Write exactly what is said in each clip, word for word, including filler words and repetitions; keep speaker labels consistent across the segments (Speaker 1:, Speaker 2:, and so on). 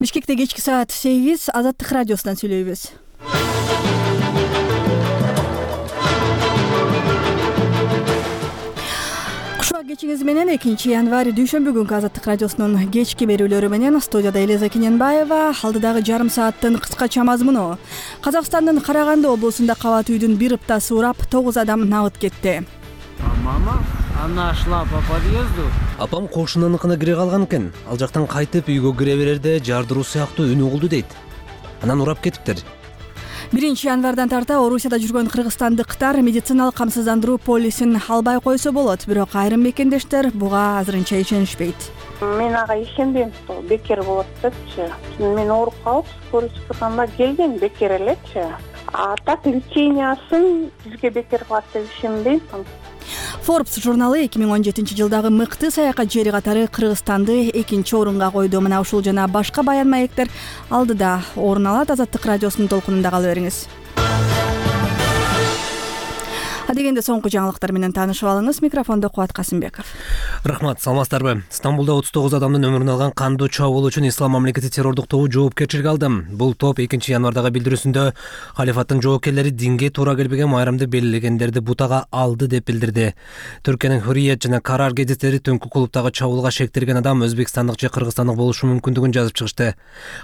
Speaker 1: Бишкекте кечки саат сегиз Азаттык радиосунан сүйлөйбүз. Кушуак кечиңиз менен экинчи январь дүйшөмбү күнкү Азаттык радиосунун кечки берүүлөрү менен студияда Элиза Кененбаева. Алдыдагы жарым сааттын кыскача мазмуну: Казакстандын Караганды облусунда кабат үйдүн бир ыптасы урап, тогуз адам набыт кетти.
Speaker 2: Мама, она шла по подъезду.
Speaker 3: Апам кошунаныкына кире калган экен. Ал жактан кайтып үйгө кире берерде жардыруу сыяктуу үн угулду дейт. Анан урап кетиптир.
Speaker 1: биринчи январдан тарта Орусияда жүргөн кыргызстандыктар медициналык камсыздандыруу полисин албай койсо болот, бирок айрым мекендештер буга азырынча ишенишпейт.
Speaker 4: Мен ага ишенбейм, бекер болот депчи. Мен ооруп калып, скорый чакырганда келген бекер элечи. А так лечениясын бизге бекер кылат деп ишенбейм.
Speaker 1: Forbes журналы эки миң он жетинчи жылдагы мыкты саякат жери катары Кыргызстанды экинчи орунга койду. Мына ушул жана башка баян маектер алдыда орун алат. Азаттык радиосунун толкунунда кала бериңиз. Адегенде соңку жаңылыктар менен таанышып алыңыз. Микрофондо Кубат Касымбеков.
Speaker 3: Рахмат, саламатсыздарбы? Стамбулда отуз тогуз адамдын өмүрүн алган кандуу чабуул үчүн Ислам мамлекети террордук тобу жоопкерчиликке алды. Бул топ экинчи январдагы билдирүүсүндө халифаттын жоопкерлери динге туура келбеген майрамды белгилегендерди бутага алды деп билдирди. Түркиянын Hürriyet жана Karar гезиттери түнкү клубдагы чабуулга шектелген адам өзбекстандык же кыргызстандык болушу мүмкүндүгүн жазып чыгышты.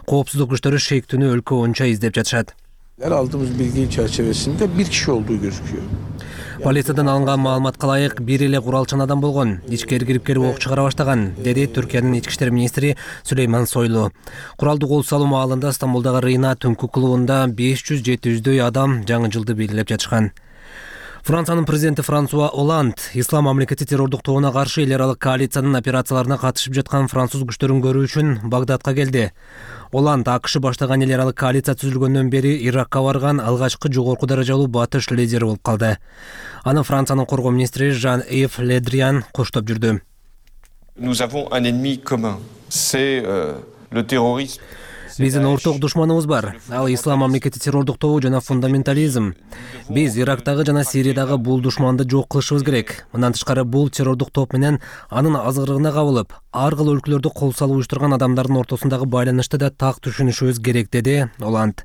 Speaker 3: Коопсуздук күчтөрү шектүүнү өлкө боюнча издеп жатышат.
Speaker 5: Aldığımız bilgi çerçevesinde bir kişi olduğu gözüküyor.
Speaker 3: Полициядан алынган маалыматка ылайык бир эле куралчан адам болгон. Ичкери кирип келип ок чыгара баштаган, деди Түркиянын ички иштер министри Сүлейман Сойлу. Куралдуу кол салуу маалында Стамбулдагы Рина түнкү клубунда беш жүз жети жүздөй адам жаңы жылды белгилеп жатышкан. Франциянын президенти Франсуа Оланд Ислам мамлекети террордук тобуна каршы эл аралык коалициянын операцияларына катышып жаткан француз күчтөрүн көрүү үчүн Багдадка келди. Оланд АКШ баштаган эл аралык коалиция түзүлгөндөн бери Иракка барган алгачкы жогорку даражалуу батыш лидери болуп калды. Аны Франциянын коргоо министри Жан-Ив Ле Дриан коштоп жүрдү.
Speaker 6: Nous avons un ennemi commun. C'est euh, le terrorisme.
Speaker 3: Биздин орток душманыбыз бар. Ал Ислам мамлекети террордук тобу жана фундаментализм. Биз Ирактагы жана Сириядагы бул душманды жок кылышыбыз керек. Мындан тышкары бул террордук топ менен анын азгырыгына кабылып, ар кыл өлкөлөрдө кол салып уюштурган адамдардын ортосундагы байланышты да так түшүнүшүбүз керек, деди Оланд.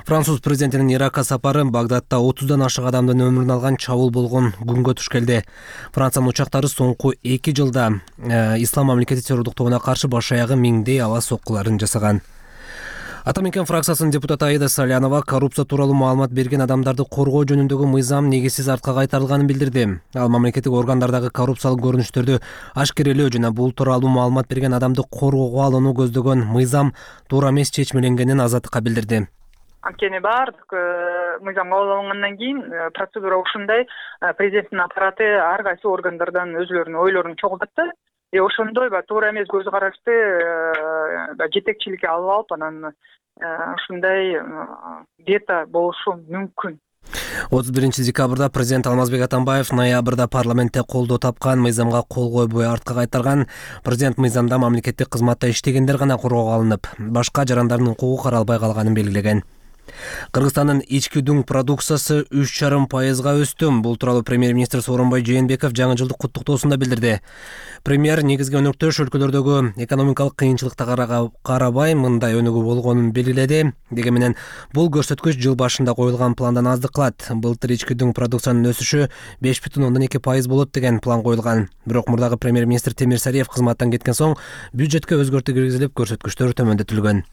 Speaker 3: Француз президентинин Иракка сапары Багдадта отуздан ашык адамдын өмүрүн алган чабуул болгон күнгө туш келди. Франциянын учактары соңку эки жылда э, Ислам мамлекети террордук тобуна каршы баш аягы миңдей аба соккуларын жасаган. Атамекен фракциясынын депутаты Аида Салянова коррупция тууралуу маалымат берген адамдарды коргоо жөнүндөгү мыйзам негизсиз артка кайтарылганын билдирди. Ал мамлекеттик органдардагы коррупциялык көрүнүштөрдү ашкерелөө жана бул тууралуу маалымат берген адамды коргоого алууну көздөгөн мыйзам туура эмес чечмеленгенин Азаттыкка билдирди.
Speaker 7: Анткени баардык мыйзам кабыл алынгандан кийин процедура ушундай: президенттин аппараты ар кайсы органдардан өзүлөрүнүн ойлорун чогултат. И ошондой ба туура эмес көз карашты жетекчиликке алып алып, анан ушундай вето болушу мүмкүн.
Speaker 3: отуз биринчи декабрда президент Алмазбек Атамбаев ноябрда парламентте колдоо тапкан мыйзамга кол койбой артка кайтарган. Президент мыйзамда мамлекеттик кызматта иштегендер гана коргоого алынып, башка жарандардын укугу каралбай калганын белгилеген. Кыргызстандын ички дүң продукциясы үч жарым пайызга өстү. Бул тууралуу премьер-министр Сооронбай Жээнбеков жаңы жылдык куттуктоосунда билдирди. Премьер негизги өнөктөш өлкөлөрдөгү экономикалык кыйынчылыктарга карабай мындай өнүгүү болгонун белгиледи. Дегени менен бул көрсөткүч жыл башында коюлган пландан аздык кылат. Былтыр ички дүң продукциянын өсүшү беш бүтүн ондон эки пайыз болот деген план коюлган. Бирок мурдагы премьер-министр Темир Сариев кызматтан кеткен соң бюджетке өзгөртүү киргизилип, көрсөткүчтөр төмөндөтүлгөн.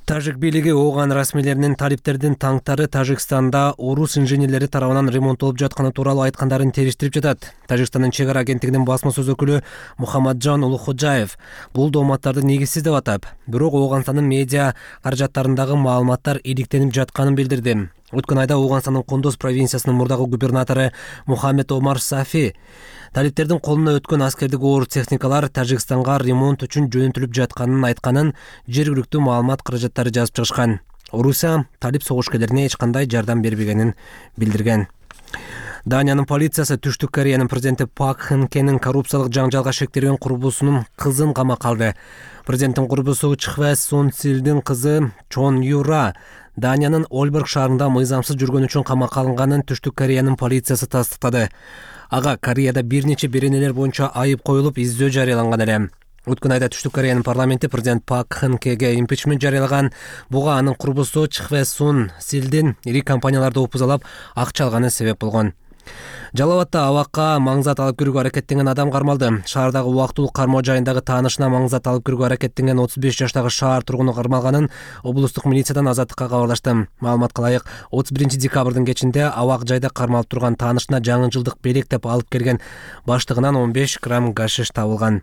Speaker 3: Тажик бийлиги ооган расмийлеринин талиптердин танктары Тажикстанда орус инженерлери тарабынан ремонттолуп жатканы тууралуу айткандарын териштирип жатат. Тажикстандын чек ара агенттигинин басма сөз өкүлү Мухаммаджан Улуходжаев бул дооматтарды негизсиз деп атап, бирок Ооганстандын медиа каражаттарындагы маалыматтар иликтенип жатканын билдирди. Өткөн айда Ооганстандын Кондоз провинциясынын мурдагы губернатору Мухаммед Омар Сафи талиптердин колуна өткөн аскердик оор техникалар Тажикстанга ремонт үчүн жөнөтүлүп жатканын айтканын жергиликтүү маалымат каражаттары жазып чыгышкан. Орусия талип согушкерлерине эч кандай жардам бербегенин билдирген. Даниянын полициясы Түштүк Кореянын президенти Пак Кын Хенин коррупциялык жаңжалга шектелген курбусунун кызын камакка алды. Президенттин курбусу Чхве Сун Силдин кызы Чон Юра Даниянын Ольберг шаарында мыйзамсыз жүргөн үчүн камакка алынганын Түштүк Кореянын полициясы тастыктады. Ага Кореяда бир нече беренелер боюнча айып коюлуп, издөө жарыяланган эле. Өткөн айда Түштүк Кореянын парламенти президент Пак Кын Хеге импичмент жарыялаган. Буга анын курбусу Чхве Сун Силдин ири компанияларды опузалап акча алганы себеп болгон. Жалал Абадта абакка маңзат алып кирүүгө аракеттенген адам кармалды. Шаардагы убактылуу кармоо жайындагы таанышына маңзат алып кирүүгө аракеттенген отуз беш жаштагы шаар тургуну кармалганын облустук милициядан Азаттыкка кабарлашты. Маалыматка ылайык, отуз биринчи декабрдын кечинде абак жайда кармалып турган таанышына жаңы жылдык белек деп алып келген баштыгынан он беш грамм гашиш табылган.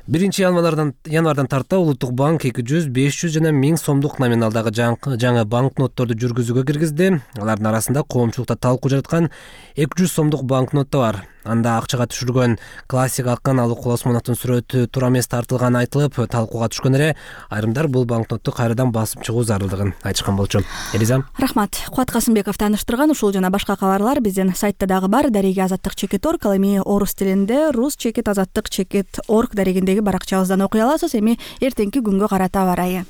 Speaker 3: биринчи январдан январдан тарта Улуттук банк эки жүз, беш жүз жана миң сомдук номиналдагы жаңы банкнотторду жүргүзүүгө киргизди. Алардын арасында коомчулукта талкуу жараткан эки жүз сомдук банкнот да бар. Анда акчага түшүргөн классик акын Алык Осмоновдун сүрөтү туура эмес тартылганы айтылып, талкууга түшкөн эле айрымдар бул банкнотту кайрадан басып чыгуу зарылдыгын айтышкан болчу. Элиза.
Speaker 1: Рахмат. Кубат Касымбеков тааныштырган ушул жана башка кабарлар биздин сайтта дагы бар. Дареги азаттык чекит орг, ал эми орус тилинде рус чекит азаттык чекит орг дарегиндеги баракчабыздан окуй аласыз. Эми эртеңки күнгө карата аба ырайы.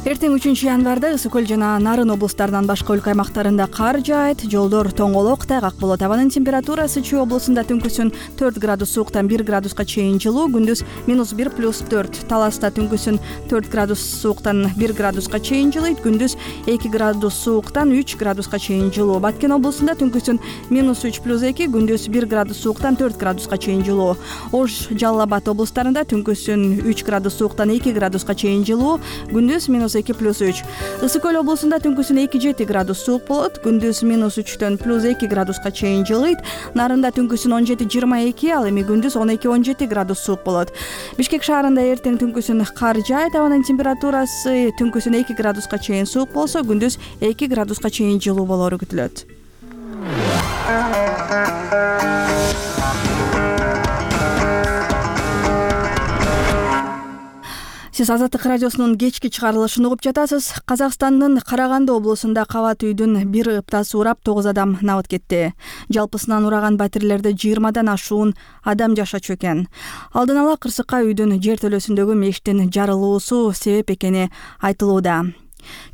Speaker 1: Эртең үчүнчү январда Ысык көл жана Нарын облустарынан башка өлкө аймактарында кар жаайт, жолдор тоңолок, тайгак болот. Абанын температурасы Чүй облусунда түнкүсүн төрт градус сууктан бир градуска чейин жылуу, күндүз минус бир плюс төрт. Таласта түнкүсүн төрт градус сууктан бир градуска чейин жылыйт, күндүз эки градус сууктан үч градуска чейин жылуу. Баткен облусунда түнкүсүн минус үч плюс эки, күндүз бир градус сууктан төрт градуска чейин жылуу. Ош, Жалал Абад облустарында түнкүсүн үч градус сууктан эки градуска чейин жылуу, күндүз минус эки плюс үч. Ысык көл облусунда түнкүсүн эки жети градус суук болот, күндүз минус үчтөн плюс эки градуска чейин жылыйт. Нарында түнкүсүн он жети жыйырма эки, ал эми күндүз он эки он жети градус суук болот. Бишкек шаарында эртең түнкүсүн кар жаайт, абанын температурасы түнкүсүн эки градуска чейин суук болсо, күндүз эки градуска чейин жылуу болору күтүлөт. Сиз Азаттык радиосунун кечки чыгарылышын угуп жатасыз. Казакстандын Караганды облусунда кабат үйдүн бир ыптасы урап тогуз адам набыт кетти. Жалпысынан ураган батирлерде жыйырмадан ашуун адам жашачу экен. Алдын ала кырсыкка үйдүн жертөлөсүндөгү мештин жарылуусу себеп экени айтылууда.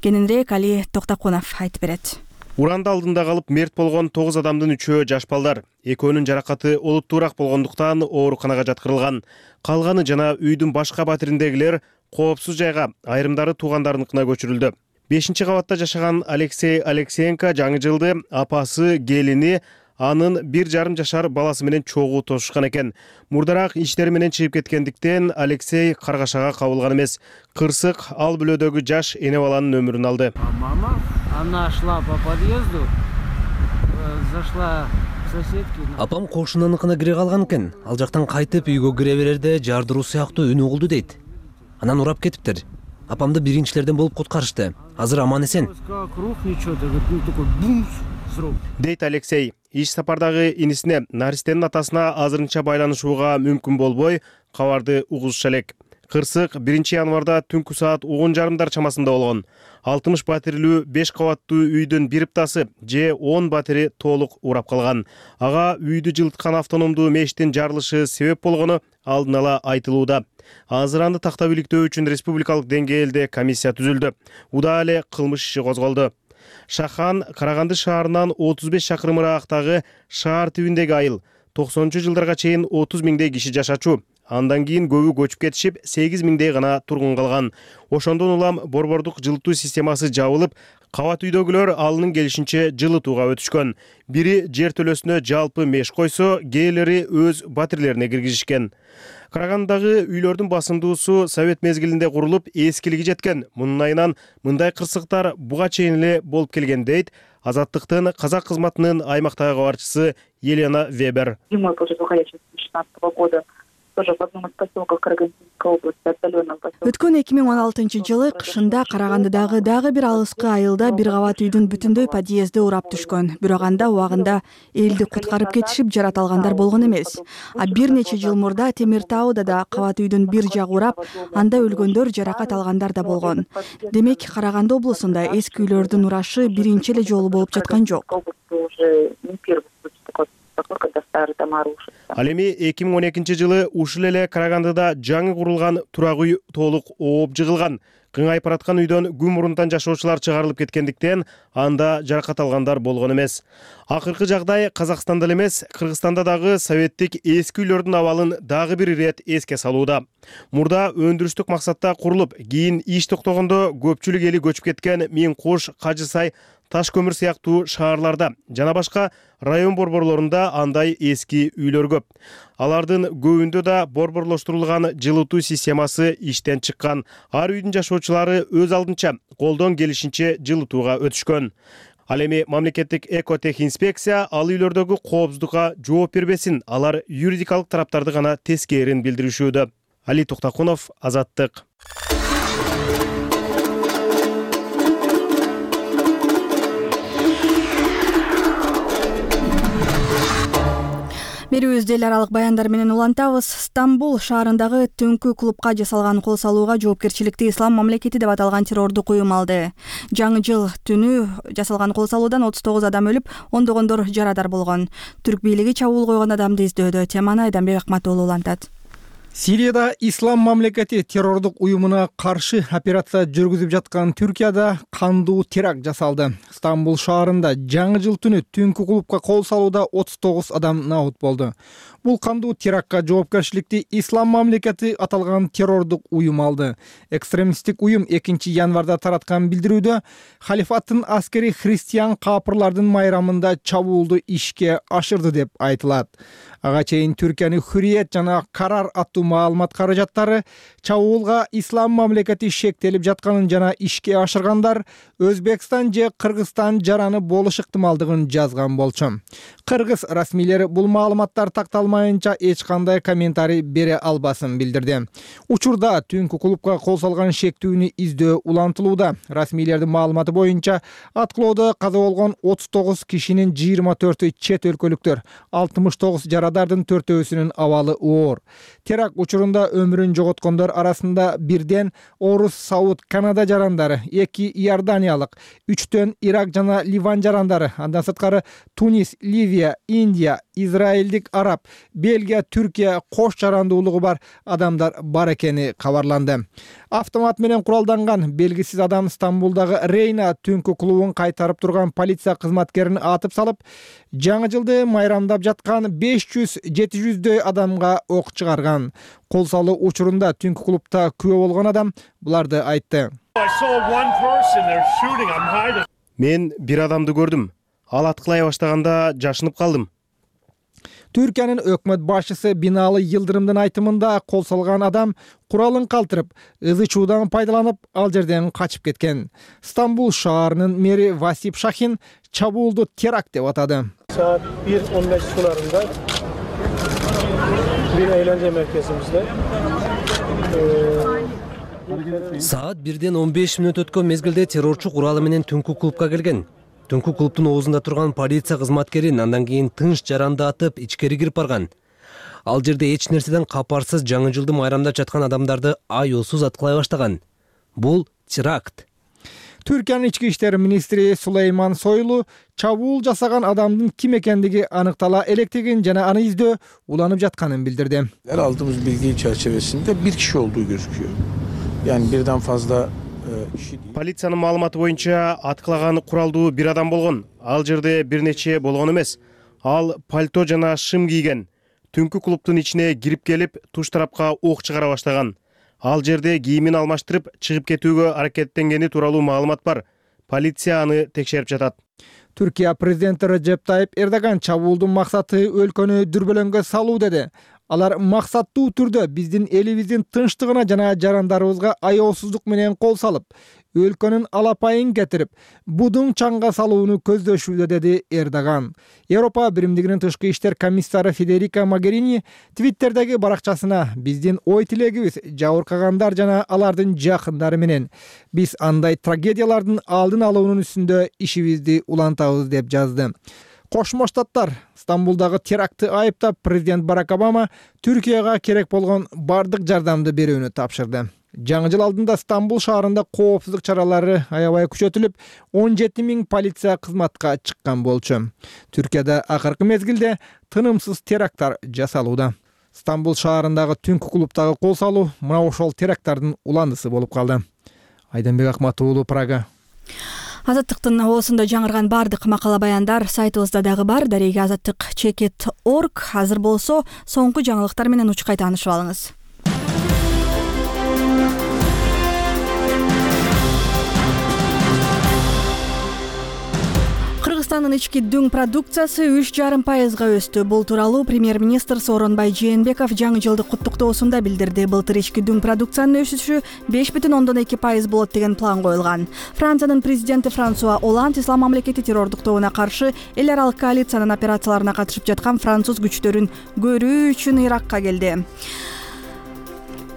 Speaker 1: Кененирээк Али Токтокунов айтып берет.
Speaker 8: Уранды алдында калып мерт болгон тогуз адамдын үчөө жаш балдар. Экөөнүн жаракаты олуттуураак болгондуктан ооруканага жаткырылган. Калганы жана үйдүн башка батириндегилер коопсуз жайга, айрымдары туугандарыныкына көчүрүлдү. бешинчи кабатта жашаган Алексей Алексеенко жаңы жылды апасы, келини, анын бир жарым жашар баласы менен чогуу тосушкан экен. Мурдараак иштери менен чыгып кеткендиктен Алексей Каргашага кабылган эмес. Кырсык ал бүлөдөгү жаш эне баланын өмүрүн алды.
Speaker 2: Мама, она шла по подъезду, зашла к соседке.
Speaker 3: Апам кошунаныкына кире калган экен. Ал жактан кайтып үйгө кире берерде жардыруу сыяктуу үн угулду дейт. Анан урап кетиптир. Апамды биринчилерден болуп куткарышты. Азыр аман эсен.
Speaker 8: Дейт Алексей. Иш сапардагы инисине, наристенин атасына азырынча байланышууга мүмкүн болбой, кабарды угузуша элек. Кырсык биринчи январда түнкү саат он жарымдар чамасында болгон. алтымыш батирлүү беш кабаттуу үйдүн бир ыптасы же он батири толук урап калган. Ага үйдү жылыткан автономдуу мештин жарылышы себеп болгону алдын ала айтылууда. Азыр анды тактап иликтөө үчүн республикалык деңгээлде комиссия түзүлдү. Удаал эле кылмыш иши козголду. Шахан Караганды шаарынан отуз беш чакырым ыраактагы шаар түбүндөгү айыл. токсонунчу жылдарга чейин отуз миңдей киши жашачу. Андан кийин көбү көчүп кетишип, сегиз миңдей гана тургун калган. Ошондон улам борбордук жылытуу системасы жабылып, кабат үйдөгүлөр алынын келишинче жылытууга өтүшкөн. Бири жертөлөсүнө жалпы меш койсо, кээрлери өз батирлерине киргизишкен. Карагандагы үйлөрдүн басымдуусу совет мезгилинде курулуп, эскилиги жеткен. Мунун айынан мындай кырсыктар буга чейин эле болуп келген дейт Азаттыктын казак кызматынын аймактагы кабарчысы Елена Вебер.
Speaker 9: Зимой после две тысячи шестнадцатого года тоже в одном из поселков Карагандинской области отдаленном поселке.
Speaker 1: Өткөн эки миң он алтынчы жылы кышында Карагандыдагы дагы бир алыскы айылда бир кабат үйдүн бүтүндөй подъезди урап түшкөн. Бирок анда убагында элди куткарып кетишип, жарат алгандар болгон эмес. А бир нече жыл мурда Темир Тауда да кабат үйдүн бир жагы урап, анда өлгөндөр, жаракат алгандар да болгон. Демек, Караганды облусунда эски үйлөрдүн урашы биринчи эле жолу болуп жаткан жок.
Speaker 8: Ал эми эки миң он экинчи жылы ушул эле Карагандыда жаңы курулган турак үй толук ооп жыгылган. Кыңайып бараткан үйдөн күн мурунтан жашоочулар чыгарылып кеткендиктен анда жаракат алгандар болгон эмес. Акыркы жагдай Казакстанда эле эмес, Кыргызстанда дагы советтик эски үйлөрдүн абалын дагы бир ирет эске салууда. Мурда өндүрүштүк максатта курулуп, кийин иш токтогондо көпчүлүк эли көчүп кеткен Миң Куш, Кажы Сай, Таш көмүр сыяктуу шаарларда жана башка район борборлорунда андай эски үйлөр көп. Алардын көбүндө да борборлоштурулган жылытуу системасы иштен чыккан. Ар үйдүн жашоочулары өз алдынча колдон келишинче жылытууга өтүшкөн. Ал эми мамлекеттик экотех инспекция ал үйлөрдөгү коопсуздукка жооп бербесин, алар юридикалык тараптарды гана тескээрин билдиришүүдө. Али Токтакунов, Азаттык.
Speaker 1: Берүүбүздү эл аралык баяндар менен улантабыз. Стамбул шаарындагы түнкү клубка жасалган кол салууга жоопкерчиликти Ислам мамлекети деп аталган террордук уюм алды. Жаңы жыл түнү жасалган кол салуудан отуз тогуз адам өлүп, ондогондор жарадар болгон. Түрк бийлиги чабуул койгон адамды издөөдө. Теманы Айданбек Акматуулу улантат.
Speaker 10: Сирияда Ислам мамлекети террордук уюмуна каршы операция жүргүзүп жаткан Түркияда кандуу теракт жасалды. Стамбул шаарында жаңы жыл түнү түнкү клубка кол салууда отуз тогуз адам набут болду. Бул кандуу терактка жоопкерчиликти Ислам мамлекети аталган террордук уюм алды. Экстремисттик уюм экинчи январда тараткан билдирүүдө халифаттын аскери христиан капырлардын майрамында чабуулду ишке ашырды деп айтылат. Ага чейин Түркиянын Хүрүет жана Карар аттуу маалымат каражаттары чабуулга Ислам мамлекети шектелип жатканын жана ишке ашыргандар Өзбекстан же Кыргызстан жараны болуш ыктымалдыгын жазган болчу. Кыргыз расмийлери бул маалыматтар такталмайынча эч кандай комментарий бере албасын билдирди. Учурда түнкү клубка кол салган шектүүнү издөө улантылууда. Расмийлердин маалыматы боюнча аткылоодо каза болгон отуз тогуз кишинин жыйырма төртү чет өлкөлүктөр, алтымыш тогуз жарадардын төртөөсүнүн абалы оор. Теракт учурунда өмүрүн жоготкондор арасында бирден Орус, Сауд, Канада жарандары, эки Иорданиялык, үчтөн Ирак жана Ливан жарандары, андан сырткары Тунис, Ливия, Индия, Израилдик араб, Бельгия, Түркия кош жарандуулугу бар адамдар бар экени кабарланды. Автомат менен куралданган белгисиз адам Стамбулдагы Рейна түнкү клубун кайтарып турган полиция кызматкерин атып салып, жаңы жылды майрамдап жаткан беш жүз жети жүздөй адамга ок чыгарган. Кол салуу учурунда түнкү клубта күбө болгон адам буларды айтты.
Speaker 8: Мен бир адамды көрдүм. Ал аткылай баштаганда жашынып калдым.
Speaker 10: Түркиянын өкмөт башчысы Бинали Йылдырымдын айтымында кол салган адам куралын калтырып, ызы чуудан пайдаланып, ал жерден качып кеткен. Стамбул шаарынын мэри Васип Шахин чабуулду теракт деп атады.
Speaker 11: Saat bir on beş sularında bir eğlence merkezimizde
Speaker 3: Саат бирден он беш мүнөт өткөн мезгилде террорчу куралы менен түнкү клубка келген. Түнкү клубтун оозунда турган полиция кызматкерин андан кийин тынч жаранды атып ичкери кирип барган. Ал жерде эч нерседен капарсыз жаңы жылды майрамдап жаткан адамдарды аюусуз аткылай баштаган. Бул теракт.
Speaker 10: Түркиянын ички иштер министри Сулейман Сойлу чабуул жасаган адамдын ким экендиги аныктала электигин жана аны издөө уланып жатканын билдирди.
Speaker 5: Aldığımız bilgi çerçevesinde bir kişi olduğu gözüküyor. Yani birden fazla kişi değil.
Speaker 8: Полициянын маалыматы боюнча аткылаган куралдуу бир адам болгон. Ал жерде бир нече болгон эмес. Ал пальто жана шым кийген. Түнкү клубтун ичине кирип келип, туш тарапка ок чыгара баштаган. Ал жерде кийимин алмаштырып, чыгып кетүүгө аракеттенгени тууралуу маалымат бар. Полиция аны текшерип жатат.
Speaker 10: Түркия президенти Режеп Тайип Эрдоган чабуулдун максаты өлкөнү дүрбөлөңгө салуу деди. Алар максаттуу түрдө биздин элибиздин тынчтыгына жана жарандарыбызга аяосуздук менен кол салып, өлкөнүн алапайын кетирип, будун чаңга салууну көздөшүүдө, деди Эрдоган. Европа биримдигинин тышкы иштер комиссары Федерика Могерини Твиттердеги баракчасына биздин ой тилегибиз жабыркагандар жана алардын жакындары менен. Биз андай трагедиялардын алдын алуунун үстүндө ишибизди улантабыз деп жазды. Кошмо Штаттар Стамбулдагы терактты айыптап, президент Барак Обама Түркияга керек болгон бардык жардамды берүүнү тапшырды. Жаңы жыл алдында Стамбул шаарында коопсуздук чаралары аябай күчөтүлүп, он жети миң полиция кызматка чыккан болчу. Түркияда акыркы мезгилде тынымсыз теракттар жасалууда. Стамбул шаарындагы түнкү клубтагы кол салуу мына ошол теракттардын уландысы болуп калды. Айданбек Акматов уулу, Прага.
Speaker 1: Азаттыктын оосунда жаңырган бардык макала баяндар сайтыбызда дагы бар. Дареге азаттык чекит точка орг. Азыр болсо соңку жаңылыктар менен учкай таанышып алыңыз. Кыргызстандын ички дүң продукциясы үч жарым пайызга өстү. Бул тууралуу премьер-министр Сооронбай Жээнбеков жаңы жылдык куттуктоосунда билдирди. Былтыр ички дүң продукциянын өсүшү беш бүтүн ондон эки пайыз болот деген план коюлган. Франциянын президенти Франсуа Оланд Ислам мамлекети террордук тобуна каршы эл аралык коалициянын операцияларына катышып жаткан француз күчтөрүн көрүү үчүн Иракка келди.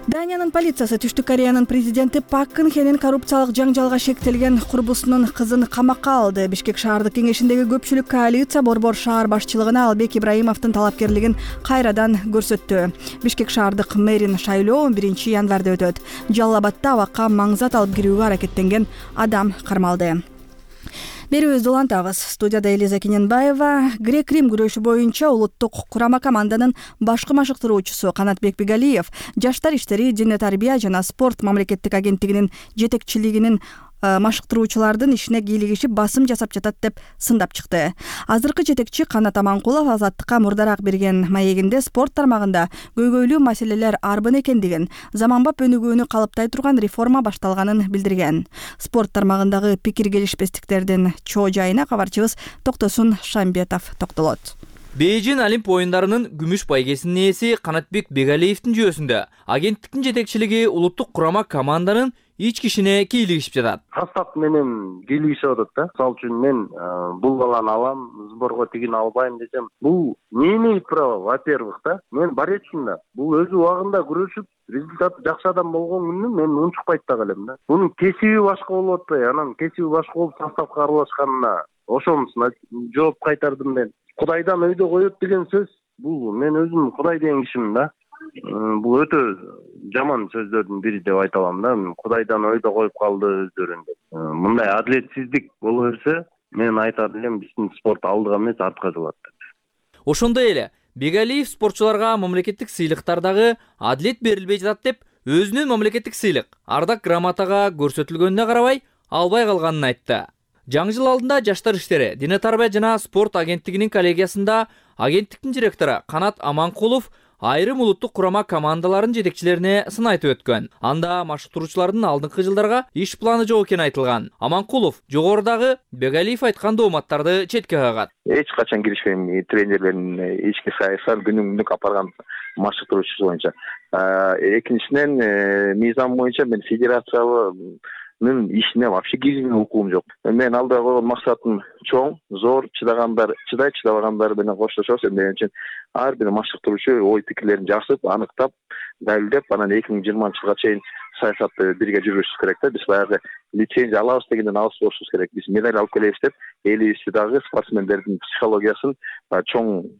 Speaker 1: Даниянын полициясы Түштүк Кореянын президенти Пак Кын Хенин коррупциялык жаңжалга шектелген курбусунун кызын камакка алды. Бишкек шаардык кеңешиндеги көпчүлүк коалиция Борбор шаар башчылыгына Албек Ибраимовдун талапкерлигин кайрадан көрсөттү. Бишкек шаардык мэрин шайлоо биринчи январда өтөт. Жалал Абадда абакка маңзат алып кирүүгө аракеттенген адам кармалды. Берүүбүздү улантабыз. Студияда Элиза Кененбаева. Грек-Рим күрөшү боюнча улуттук курама команданын башкы машыктыруучусу Канатбек Бегалиев жаштар иштери, дине тарбия жана спорт мамлекеттик агенттигинин жетекчилигинин машыктыруучулардын ишине кийлигишип басым жасап жатат деп сындап чыкты. Азыркы жетекчи Канат Аманкулов Азаттыкка мурдараак берген маегинде спорт тармагында көйгөйлүү маселелер арбын экендигин, заманбап өнүгүүнү калыптай турган реформа башталганын билдирген. Спорт тармагындагы пикир келишпестиктердин чоо жайына кабарчыбыз Токтосун Шамбетов токтолот.
Speaker 12: Бейжин Олимп оюндарынын күмүш байгесинин ээси Канатбек Бегалиевдин жүйөсүндө агенттиктин жетекчилиги улуттук курама команданын ички ишине кийлигишип жатат.
Speaker 13: Состав менен кийлигишип атат да. Мисалы үчүн мен бул баланы алам, сборго тигин албайм десем, бул не имеет права, во-первых, да. Мен баречмин да. Бул өз убагында күрөшүп, результаты жакшы адам болгон күнү мен унчукпайт да элем да. Бунун кесиби башка болуп атпайбы? Анан кесиби башка болуп составга аралашканына ошонусуна жооп кайтардым мен. Кудайдан өйдө коет деген сөз, бул мен өзүм Кудай деген кишимин да. Бул өтө жаман сөздөрдүн бири деп айта алам да. Кудайдан өйдө коюп калды өздөрүн деп. Мындай адилетсиздик боло берсе, мен айтат элем биздин спорт алдыга эмес артка жылат деп.
Speaker 12: Ошондой эле Бегалиев спортчуларга мамлекеттик сыйлыктардагы адилет берилбей жатат деп өзүнүн мамлекеттик сыйлык ардак грамотага көрсөтүлгөнүнө карабай албай калганын айтты. Жаңы жыл алдында жаштар иштери, дине тарбия жана спорт агенттигинин коллегиясында агенттиктин директору Канат Аманкулов айрым улуттук курама командалардын жетекчилерине сын айтып өткөн. Анда машыктыруучулардын алдыңкы жылдарга иш планы жок экени айтылган. Аманкулов жогорудагы Бегалиев айткан дооматтарды четке кагат.
Speaker 14: Эч качан киришпейм тренерлердин ички саясат күнүмдүк алып барган машыктыруучусу боюнча. Экинчиден мыйзам боюнча мен федерациялы мен ишине вообще киргизген укугум жок. Мен алдыга койгон максатым чоң, зор, чыдагандар чыдайт, чыдабагандар менен коштошобуз. Эмне үчүн ар бир машыктыруучу ой пикирлерин жасып, аныктап, далилдеп, анан эки миң жыйырманчы жылга чейин саясатты бирге жүргүзүш керек да. Биз баягы лицензия алабыз дегенден алыс болушубуз керек. Биз медаль алып келебиз деп, элибизди дагы спортсмендердин психологиясын чоң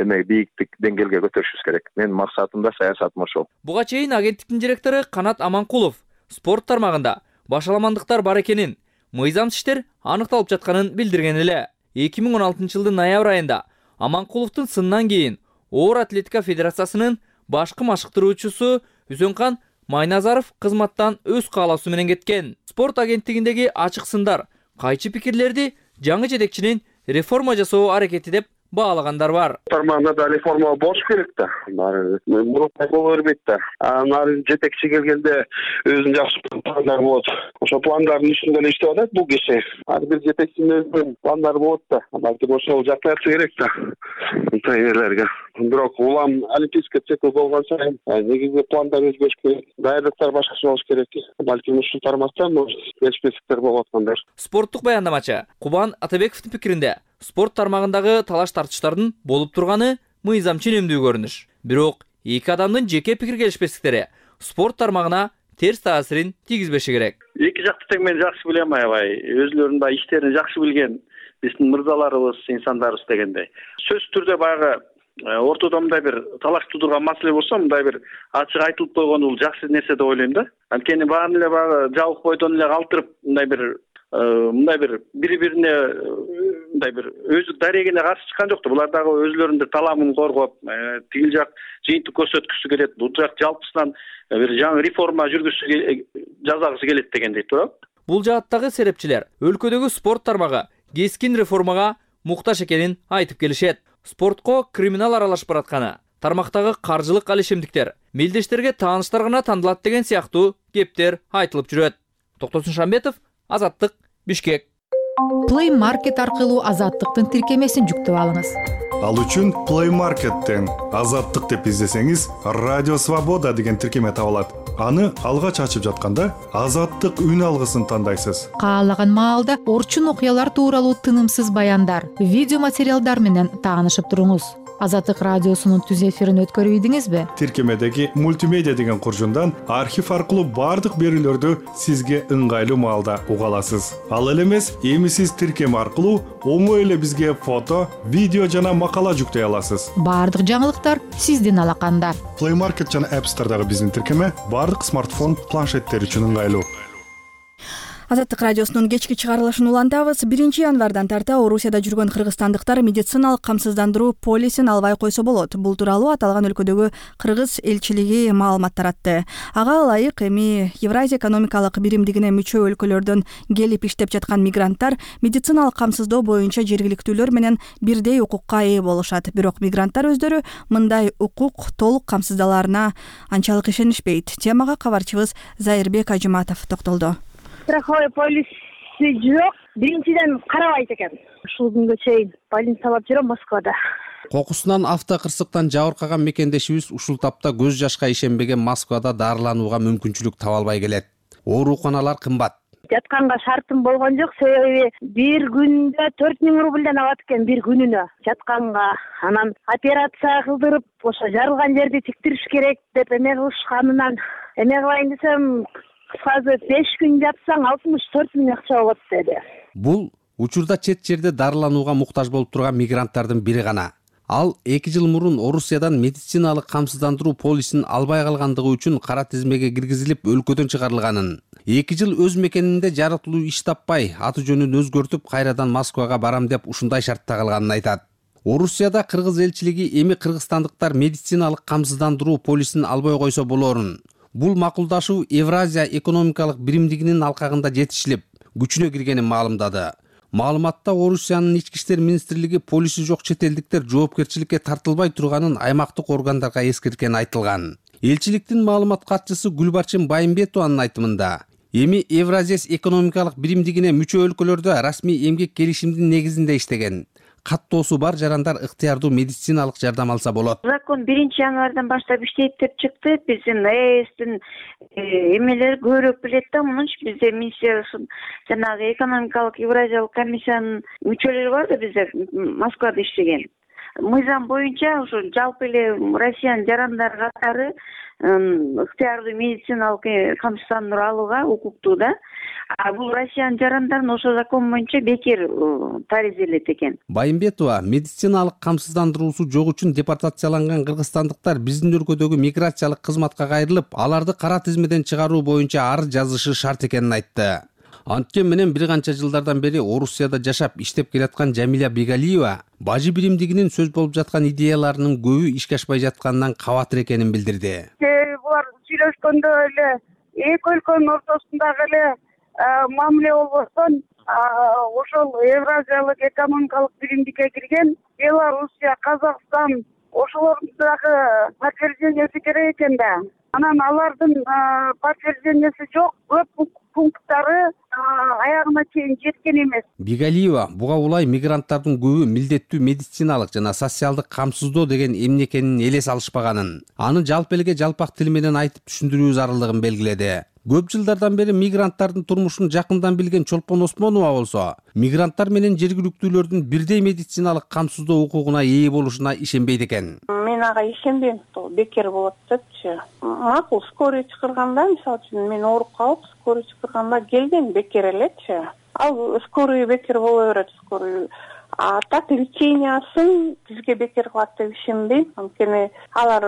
Speaker 14: эме бийиктик деңгээлге көтөрүшүбүз керек. Менин максатым да саясатым ошол.
Speaker 12: Буга чейин агенттиктин директору Канат Аманкулов спорт тармагында башаламандыктар бар экенин, мыйзамсыз иштер аныкталып жатканын билдирген эле. эки миң он алтынчы жылдын ноябрь айында Аманкуловдун сынынан кийин Оор атлетика федерациясынын башкы машыктыруучусу Үсөнкан Майназаров кызматтан өз каалоосу менен кеткен. Спорт агенттигиндеги ачык сындар кайчы пикирлерди жаңы жетекчинин реформа жасоо аракети деп баалагандар бар.
Speaker 15: Тармагында да реформа болуш керек да. Мурункай боло бербейт да. Анан жетекчи келгенде өзүнүн жакшы пландары болот. Ошо пландардын үстүндө эле иштеп атат бул киши. Ар бир жетекчинин өзүнүн пландары болот да. Балким ошол жактырса керек да. Тренерлерге. Бирок улам олимпийский цикл болгон сайын негизги пландар өзгөрүш керек. Даярдыктар башкача болуш керек. Балким ушул тармакта келишпестиктер болуп аткандар.
Speaker 12: Спорттук баяндамачы Кубан Атабековдун пикиринде спорт тармагындагы талаш тартыштардын болуп турганы мыйзам ченемдүү көрүнүш. Бирок эки адамдын жеке пикир келишпестиктери спорт тармагына терс таасирин тийгизбеши керек.
Speaker 16: Эки жакты тең мен жакшы билем аябай. Өзүлөрүнүн да иштерин жакшы билген биздин мырзаларыбыз, инсандарыбыз дегендей. Сөзсүз түрдө баягы ортодо мындай бир талаш туудурган маселе болсо, мындай бир ачык айтылып койгону бул жакшы нерсе деп ойлойм да. Анткени баарын эле баягы жабык бойдон эле калтырып, мындай бир мындай бир бири бирине мындай бир өздүк дарегине каршы чыккан жок да. Булар дагы өзлөрүнүн таламын коргоп, тигил жак жыйынтык көрсөткүсү келет, бул жак жалпысынан бир жаңы реформа жүргүзүшү жасагысы келет дегендей турат.
Speaker 12: Бул жааттагы серепчилер өлкөдөгү спорт тармагы кескин реформага муктаж экенин айтып келишет. Спортко криминал аралашып баратканы, тармактагы каржылык алишемдиктер мелдештерге тааныштар гана тандалат деген сыяктуу кептер айтылып жүрөт. Токтосун Шамбетов, Азаттык, Бишкек.
Speaker 17: Play Market аркылуу Азаттыктын тиркемесин жүктөп алыңыз.
Speaker 18: Ал үчүн Play Market'тен Азаттык деп издесеңиз, Радио Свобода деген тиркеме табылат. Аны алгач ачып жатканда Азаттык үн алгысын тандайсыз.
Speaker 17: Каалаган маалда орчун окуялар тууралуу тынымсыз баяндар, видео материалдар менен таанышып туруңуз. Азаттык радиосунун түз эфирин өткөрүп ийдиңизби?
Speaker 18: Тиркемедеги мультимедиа деген куржундан архив аркылуу бардык берүүлөрдү сизге ыңгайлуу маалда уга аласыз. Ал эле эмес, эми сиз тиркеме аркылуу оңой эле бизге фото, видео жана макала жүктөй аласыз.
Speaker 17: Бардык жаңылыктар сиздин алаканда.
Speaker 18: Play Market жана App Store'дагы биздин тиркеме бардык смартфон, планшеттер үчүн ыңгайлуу.
Speaker 1: Азаттык радиосунун кечки чыгарылышын улантабыз. биринчи январдан тарта Орусияда жүргөн кыргызстандыктар медициналык камсыздандыруу полисин албай койсо болот. Бул тууралуу аталган өлкөдөгү кыргыз элчилиги маалымат таратты. Ага ылайык эми Евразия экономикалык биримдигине мүчө өлкөлөрдөн келип иштеп жаткан мигранттар медициналык камсыздоо боюнча жергиликтүүлөр менен бирдей укукка ээ болушат. Бирок мигранттар өздөрү мындай укук толук камсыздаларына анчалык ишенишпейт. Темага кабарчыбыз Зайырбек Ажыматов токтолду.
Speaker 19: Страховой полиси жок, биринчиден карабайт экен. Ушул күнгө чейин больницалап жүрөм Москвада.
Speaker 20: Кокусунан автокырсыктан жабыркаган мекендешибиз ушул тапта көз жашка ишенбеген Москвада дарыланууга мүмкүнчүлүк таба албай келет. Ооруканалар кымбат.
Speaker 19: Жатканга шартым болгон жок, себеби бир күндө төрт миң рубльден алат экен бир күнүнө жатканга. Анан операция кылдырып, ошо жарылган жерди тиктириш керек деп эме кылышканынан эме кылайын десем, кыскасы беш күн жатсаң алтымыш төрт миң акча болот деди.
Speaker 20: Бул учурда чет жерде дарыланууга муктаж болуп турган мигранттардын бири гана. Ал эки жыл мурун Орусиядан медициналык камсыздандыруу полисин албай калгандыгы үчүн кара тизмеге киргизилип өлкөдөн чыгарылганын. эки жыл өз мекенинде жаратылуу иш таппай, аты жөнүн өзгөртүп, кайрадан Москвага барам деп ушундай шартта калганын айтат. Орусияда кыргыз элчилиги эми кыргызстандыктар медициналык камсыздандыруу полисин албай койсо болорун. Бул макулдашуу Евразия экономикалык биримдигинин алкагында жетишилип, күчүнө киргенин маалымдады. Маалыматта Орусиянын ички иштер министрлиги полиси жок чет элдиктер жоопкерчиликке тартылбай турганын аймактык органдарга эскерткени айтылган. Элчиликтин маалымат катчысы Гүлбарчын Байымбетованын айтымында, эми Евразия экономикалык биримдигине мүчө өлкөлөрдө расмий эмгек келишимдин негизинде иштеген. Каттоосу бар жарандар ыктыярдуу медициналык жардам алса болот.
Speaker 21: Закон биринчи январдан баштап иштейт деп чыкты. Биздин ЭСтин эмелери көбүрөөк билет да, мунун бизде миссиясын жанагы экономикалык Евразиялык комиссиянын мүчөлөрү бар да, бизде Москвада иштеген. Мыйзам боюнча ушу жалпы эле Россиянын жарандары катары ыктыярдуу медициналык камсыздандыруу алууга укуктуу да. А бул Россиянын жарандарын ошо закон боюнча бекер таризелет экен.
Speaker 20: Байымбетова медициналык камсыздандыруусу жок үчүн депортацияланган кыргызстандыктар биздин өлкөдөгү миграциялык кызматка кайрылып, аларды кара тизмеден чыгаруу боюнча арыз жазышы шарт экенин айтты. Анткени менен бир канча жылдардан бери Орусияда жашап иштеп келаткан Жамиля Бегалиева бажы биримдигинин сөз болуп жаткан идеяларынын көбү ишке ашпай жатканынан кабатыр экенин билдирди.
Speaker 19: Булар сүйлөшкөндө эле эки өлкөнүн ортосундагы эле мамиле болбостон ошол Евразиялык экономикалык биримдикке кирген Белоруссия, Казакстан ошолордун дагы подтвержденияси керек экен да. Анан алардын подтвержденияси жок, көп пункттары аягына чейин жеткен эмес.
Speaker 20: Бигалиева буга улай мигранттардын көбү милдеттүү медициналык жана социалдык камсыздоо деген эмне экенин эле салышпаганын, аны жалпы элге жалпак тил менен айтып түшүндүрүү зарылдыгын белгиледи. Көп жылдардан бери мигранттардын турмушун жакындан билген Чолпон Осмонова болсо, мигранттар менен жергиликтүүлөрдүн бирдей медициналык камсыздоо укугуна ээ болушуна ишенбейт экен.
Speaker 4: Мен ага ишенбейм, бекер болот депчи. Макул, скорый чакырганда, мисалы үчүн мен ооруп калып, скорый чакырганда келген бекер элечи. Ал скорый бекер боло берет, скорый. А так лечениясын бизге бекер кылат деп ишенбейм. Анткени алар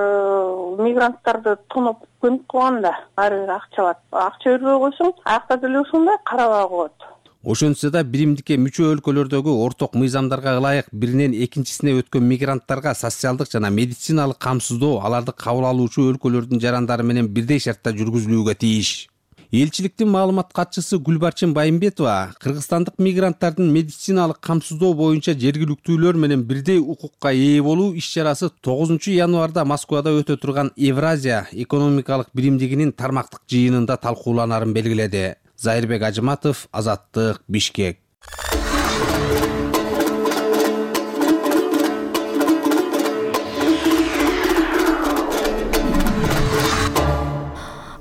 Speaker 4: мигранттарды тоноп көмүк кылганда ар бир акча алат. Акча бербей койсоң, аякта деле ушундай карабай коет.
Speaker 20: Ошентсе да биримдикке мүчө өлкөлөрдөгү орток мыйзамдарга ылайык биринен экинчисине өткөн мигранттарга социалдык жана медициналык камсыздоо аларды кабыл алуучу өлкөлөрдүн жарандары менен бирдей шартта жүргүзүлүүгө тийиш. Элчиликтин маалымат катчысы Гүлбарчын Байымбетова кыргызстандык мигранттардын медициналык камсыздоо боюнча жергиликтүүлөр менен бирдей укукка ээ болуу иш-чарасы тогузунчу январда Москвада өтө турган Евразия экономикалык биримдигинин тармактык жыйынында талкууланарын белгиледи. Зайырбек Ажыматов, Азаттык, Бишкек.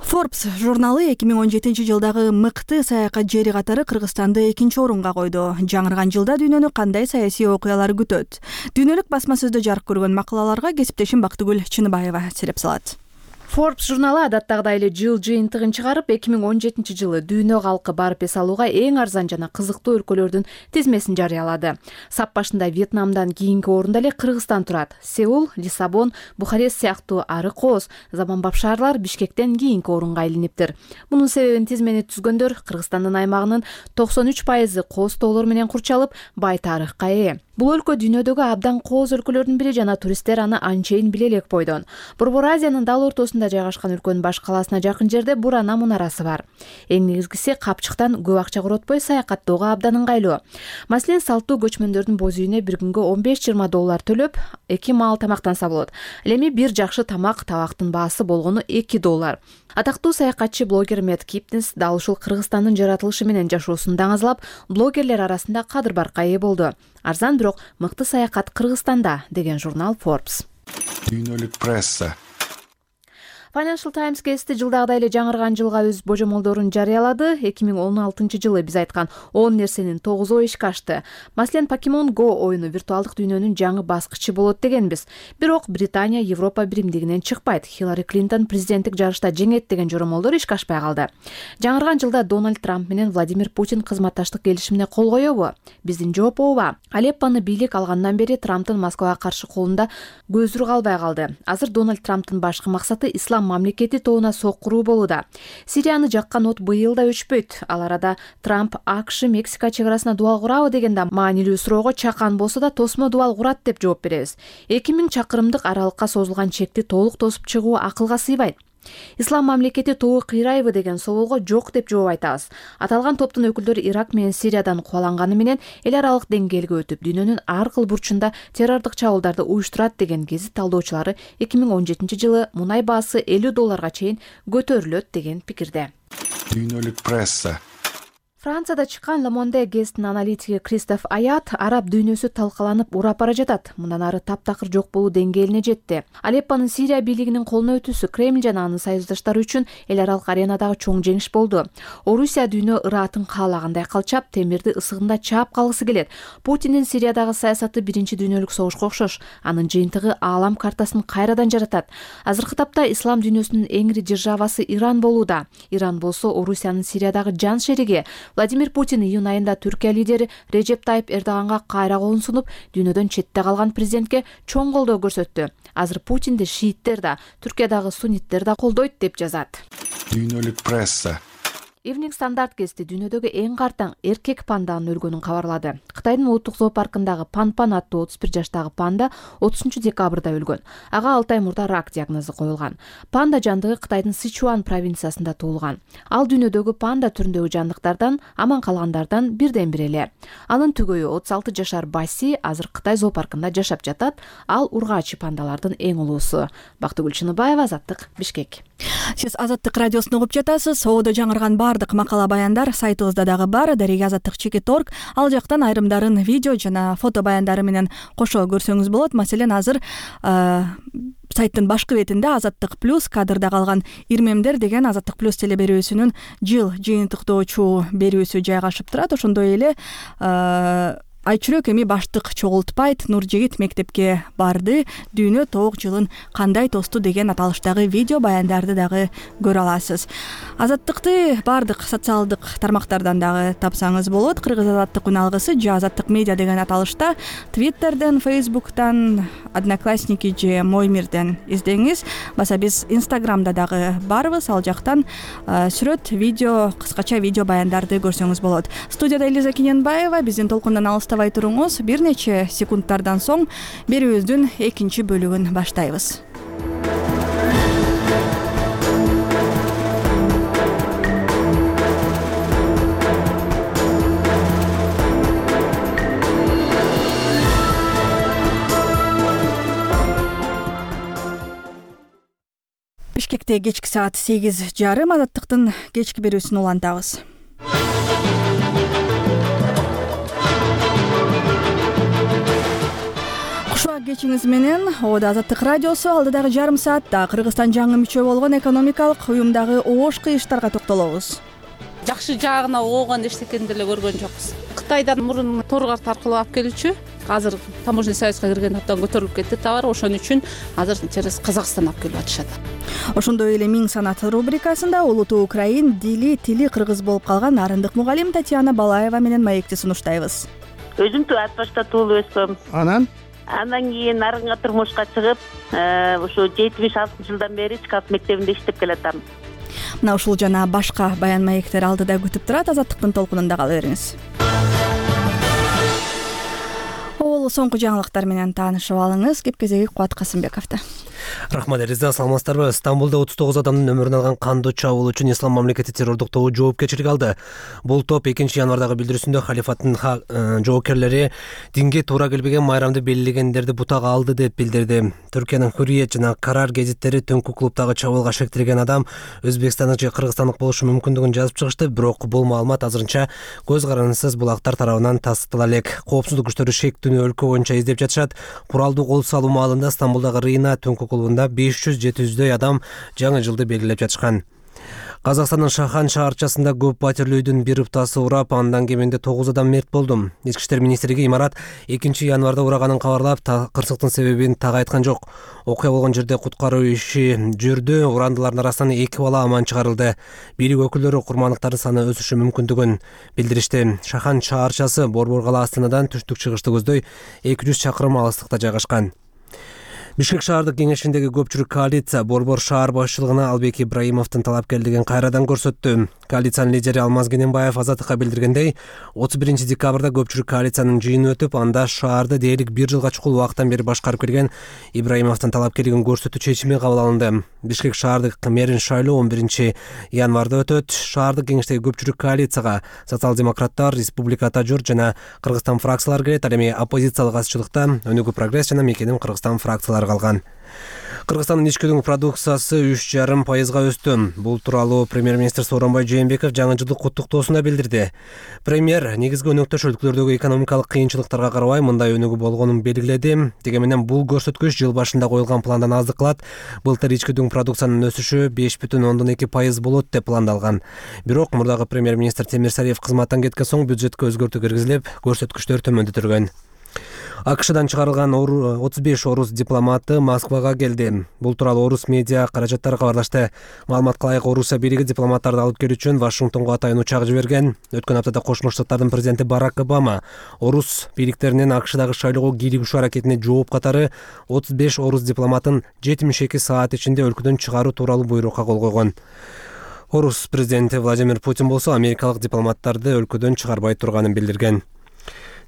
Speaker 1: Forbes журналы эки миң он жетинчи жылдагы мыкты саякат жери катары Кыргызстанды экинчи орунга койду. Жаңырган жылда дүйнөнү кандай саясий окуялар күтөт? Дүйнөлүк басма сөздө жарык көргөн макалаларга кесиптешим Бактыгүл Чыныбаева сереп салат.
Speaker 6: Forbes журналы адаттагыдай эле жыл жыйынтыгын чыгарып, эки миң он жетинчи жылы дүйнө калкы барып эс алууга эң арзан жана кызыктуу өлкөлөрдүн тизмесин жарыялады. Сап башында Вьетнамдан кийинки орунда эле Кыргызстан турат. Сеул, Лиссабон, Бухарест сыяктуу ары кооз, заманбап шаарлар Бишкектен кийинки орунга илиниптир. Мунун себебин тизмени түзгөндөр Кыргызстандын аймагынын токсон үч пайызы кооз тоолор менен курчалып, бай тарыхка ээ. Бул өлкө дүйнөдөгү абдан кооз өлкөлөрдүн бири жана туристтер аны анчейин биле элек бойдон. Борбор Азиянын дал ортосунда жайгашкан өлкөнүн баш калаасына жакын жерде Бурана мунарасы бар. Эң негизгиси капчыктан көп акча коротпой саякаттоого абдан ыңгайлуу. Маселен, салттуу көчмөндөрдүн боз үйүнө бир күнгө он беш жыйырма доллар төлөп, эки маал тамактанса болот. Ал эми бир жакшы тамак табактын баасы болгону эки доллар. Атактуу саякатчы блогер Мэтт Киптинс дал ушул Кыргызстандын жаратылышы менен жашоосун даңазалап, блогерлер арасында кадыр баркка ээ болду. Арзан бирок мыкты саякат Кыргызстанда деген журнал Forbes.
Speaker 18: Дүйнөлүк пресса.
Speaker 6: Financial Times гезити жылдагыдай эле жаңырган жылга өз божомолдорун жарыялады. эки миң он алтынчы жылы биз айткан он нерсенин тогузу ишке ашты. Маселен, Pokemon Go оюну виртуалдык дүйнөнүн жаңы баскычы болот дегенбиз. Бирок Британия Европа биримдигинен чыкпайт. Хиллари Клинтон президенттик жарышта жеңет деген жоромолдор ишке ашпай калды. Жаңырган жылда Дональд Трамп менен Владимир Путин кызматташтык келишимине кол коёбу? Биздин жооп ооба. Алеппону бийлик алгандан бери Трамптын Москвага каршы колунда көзүрү калбай калды. Азыр Дональд Трамптын башкы максаты ислам мамлекети тоуна соккуруу болууда. Сирияны жаккан от быйыл да өчпөйт. Ал арада Трамп АКШ Мексика чек арасына дубал курабы дегенде маанилүү суроого чакан болсо да тосмо дубал курат деп жооп беребиз. эки миң чакырымдык аралыкка созулган чекти толук тосуп чыгуу акылга сыйбайт. Ислам мамлекети тобу кыйрайбы деген соолго жок деп жооп айтабыз. Аталган топтун өкүлдөрү Ирак менен Сириядан кубаланганы менен эл аралык деңгээлге өтүп, дүйнөнүн ар кыл бурчунда террордук чабуулдарды уюштурат деген гезит талдоочулары эки миң он жетинчи жылы мунай баасы элүү долларга чейин көтөрүлөт деген пикирде.
Speaker 18: Дүйнөлүк пресса.
Speaker 6: Францияда чыккан Le Monde гезитинин аналитиги Кристоф Аят араб дүйнөсү талкаланып урап бара жатат. Мындан ары таптакыр жок болуу деңгээлине жетти. Алеппонун Сирия бийлигинин колуна өтүүсү Кремль жана анын союздаштары үчүн эл аралык аренадагы чоң жеңиш болду. Орусия дүйнө ыраатын каалагандай калчап, темирди ысыгында чаап калгысы келет. Путиндин Сириядагы саясаты биринчи дүйнөлүк согушка окшош. Анын жыйынтыгы аалам картасын кайрадан жаратат. Азыркы тапта ислам дүйнөсүнүн эң ири державасы Иран болууда. Иран болсо Орусиянын Сириядагы жан шериги. Владимир Путин июнь айында Түркия лидери Режеп Тайып Эрдоганга кайра колун сунуп, дүйнөдөн четте калган президентке чоң колдоо көрсөттү. Азыр Путинди шииттер да, Түркиядагы сунниттер да колдойт деп жазат.
Speaker 18: Дүйнөлүк пресса.
Speaker 6: Evening Standard гезити дүйнөдөгү эң картаң эркек панданын өлгөнүн кабарлады. Кытайдын улуттук зоопаркындагы Пан-Пан аттуу отуз бир жаштагы панда отузунчу декабрда өлгөн. Ага алты ай мурда рак диагнозу коюлган. Панда жандыгы Кытайдын Сычуан провинциясында туулган. Ал дүйнөдөгү панда түрүндөгү жандыктардан, аман калгандардан бирден бир эле. Анын түгөйү отуз алты жашар Баси азыр Кытай зоопаркында жашап жатат. Ал ургаачы пандалардын эң улуусу. Бактыгүл Чыныбаева, Азаттык, Бишкек.
Speaker 1: Сиз Азаттык радиосун угуп жатасыз. Соодо жаңырган бардык макала баяндар сайтыбызда дагы бар. Дарига Азаттык чекит орг. Ал жактан айрымдарын видео жана фото баяндары менен кошо көрсөңүз болот. Маселен, азыр сайттын башкы бетинде Азаттык плюс кадрда калган ирмемдер деген Азаттык плюс телеберүүсүнүн жыл жыйынтыктоочу берүүсү жайгашып турат. Ошондой эле Айчүрөк эми баштык чогултпайт Нуржигит мектепке барды, дүйнө тоок жылын кандай тосту деген аталыштагы видео баяндарды дагы көрө аласыз. Азаттыкты бардык социалдык тармактардан дагы тапсаңыз болот. Кыргыз азаттык үналгысы же азаттык медиа деген аталышта Твиттерден, Фейсбуктан, Одноклассники же Моймирден издеңиз. Баса биз Инстаграмда дагы барбыз, ал жактан сүрөт, видео, кыскача видео баяндарды көрсөңүз болот. Студияда Элиза Кененбаева, биздин толкундан алыстабай туруңуз. Бир нече секундтардан соң берүүбүздүн экинчи бөлүгүн баштайбыз. Бишкекте кечки саат сегиз жарым азаттыктын кечки берүүсүн улантабыз. Кушуак кечиңиз менен Ода Азаттык радиосу алдыдагы жарым саатта Кыргызстан жаңы мүчө болгон экономикалык уюмдагы оош кыйыштарга токтолобуз.
Speaker 7: Жакшы жагына оогон эчтекени деле көргөн жокпуз. Кытайдан мурун тор карт аркылуу алып келүүчү, азыр таможенный союзга кирген абдан көтөрүлүп кетти товар, ошон үчүн азыр через Казакстан алып келип атышат.
Speaker 1: Ошондой эле Миң санат рубрикасында улуттуу украин дили тили кыргыз болуп калган арындык мугалим Татьяна Балаева менен маекти сунуштайбыз.
Speaker 22: Өзүм Ат башта туулуп өскөм.
Speaker 10: Анан
Speaker 22: Андан кийин арынга турмушка чыгып, ушу жетимиш алтынчы жылдан бери Чкалт мектебинде иштеп келатам.
Speaker 1: Мына ушул жана башка баян маектер алдыда күтүп турат. Азаттыктын толкунунда кала бериңиз. Ол соңку жаңылыктар менен таанышып алыңыз. Кеп-кезеги Кубат Касымбековдо.
Speaker 3: Рахмат Элиза, саламатсыздарбы? Стамбулда отуз тогуз адамдын өмүрүн алган кандуу чабуул үчүн Ислам мамлекети террордук тобу жоопкерчилик алды. Бул топ экинчи январдагы билдирүүсүндө халифаттын жоокерлери динге туура келбеген майрамды белгилегендерди бутага алды деп билдирди. Түркиянын Hürriyet жана Карар гезиттери түнкү клубдагы чабуулга шектирген адам өзбекстандык же кыргызстандык болушу мүмкүндүгүн жазып чыгышты, бирок бул маалымат азырынча көз карандысыз булактар тарабынан тастыктала элек. Коопсуздук күчтөрү шектүүнү өлкө боюнча издеп жатышат. Куралдуу кол салуу маалында Стамбулдагы Рина түнкү клубунда беш жүз жети жүздөй адам жаңы жылды белгилеп жатышкан. Казакстандын Шахан шаарчасында көп патирлүү үйдүн бир ыптасы урап, андан кеминде тогуз адам мерт болду. Ички иштер министрлиги имарат экинчи январда ураганын кабарлап, кырсыктын себебин так айткан жок. Окуя болгон жерде куткаруу иши жүрдү, урандылардын арасынан эки бала аман чыгарылды. Бийлик өкүлдөрү курмандыктардын саны өсүшү мүмкүндүгүн билдиришти. Шахан шаарчасы Борбор кала Астанадан түштүк чыгышты көздөй эки жүз чакырым алыстыкта жайгашкан. Бишкек шаардык кеңешиндеги көпчүлүк коалиция Борбор шаар башчылыгына Албек Ибраимовдун талапкерлигин кайрадан көрсөттү. Коалициянын лидери Алмаз Кененбаев Азаттыкка билдиргендей, отуз биринчи декабрда көпчүлүк коалициянын жыйыны өтүп, анда шаарды дээрлик бир жылга чукул убакыттан бери башкарып келген Ибраимовдун талапкерлигин көрсөтүү чечими кабыл алынды. Бишкек шаардык мэрин шайлоо он биринчи январда өтөт. Шаардык кеңештеги көпчүлүк коалицияга социал-демократтар, Республика Тажур жана Кыргызстан фракциялары кирет. Ал эми оппозициялык азчылыкта Өнүгүү прогресс жана Мекеним Кыргызстан фракциялары калган. Кыргызстандын ички өнүгүү продукциясы үч жарым пайызга өстү. Бул тууралуу премьер-министр Сооронбай Жээнбеков жаңы жылдык куттуктоосунда билдирди. Премьер негизги өнөктөш өлкөлөрдөгү экономикалык кыйынчылыктарга карабай мындай өнүгүү болгонун белгиледи. Деги менен бул көрсөткүч жыл башында коюлган пландан аздык кылат. Былтыр ички өнүгүү продукциянын өсүшү беш бүтүн ондон эки пайыз болот деп пландалган. Бирок мурдагы премьер-министр Темирсариев кызматтан кеткен соң бюджетке өзгөртүү киргизилип, көрсөткүчтөр төмөндөтүлгөн. АКШдан чыгарылган отуз беш орус дипломаты Москвага келди. Бул тууралуу орус медиа каражаттары кабарлашты. Маалыматка ылайык, Орусия бийлиги дипломаттарды алып келүү үчүн Вашингтонго атайын учак жиберген. Өткөн аптада Кошмо Штаттардын президенти Барак Обама орус бийликтеринин АКШдагы шайлоого кийлигишүү аракетине жооп катары отуз беш орус дипломатын жетимиш эки саат ичинде өлкөдөн чыгаруу тууралуу буйрукка кол койгон. Орус президенти Владимир Путин болсо америкалык дипломаттарды өлкөдөн чыгарбай турганын билдирген.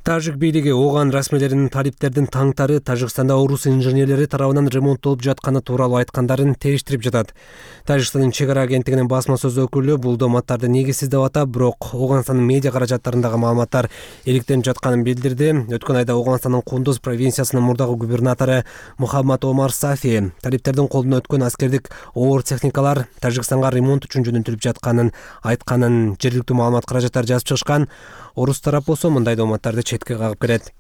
Speaker 3: Тажик бийлиги ооган расмийлеринин талиптердин таңтары Тажикстанда орус инженерлери тарабынан ремонттолуп жатканы тууралуу айткандарын териштирип жатат. Тажикстандын чек ара агенттигинин басма сөз өкүлү бул доматтарды негизсиз деп атап, бирок Ооганстандын медиа каражаттарындагы маалыматтар иликтенип жатканын билдирди. Өткөн айда Ооганстандын Кундуз провинциясынын мурдагы губернатору Мухаммад Омар Сафи талиптердин колуна өткөн аскердик оор техникалар Тажикстанга ремонт үчүн жөнөтүлүп жатканын айтканын жергиликтүү маалымат каражаттары жазып чыгышкан. Орус тарап болсо мындай доматтарды четке кагып келет.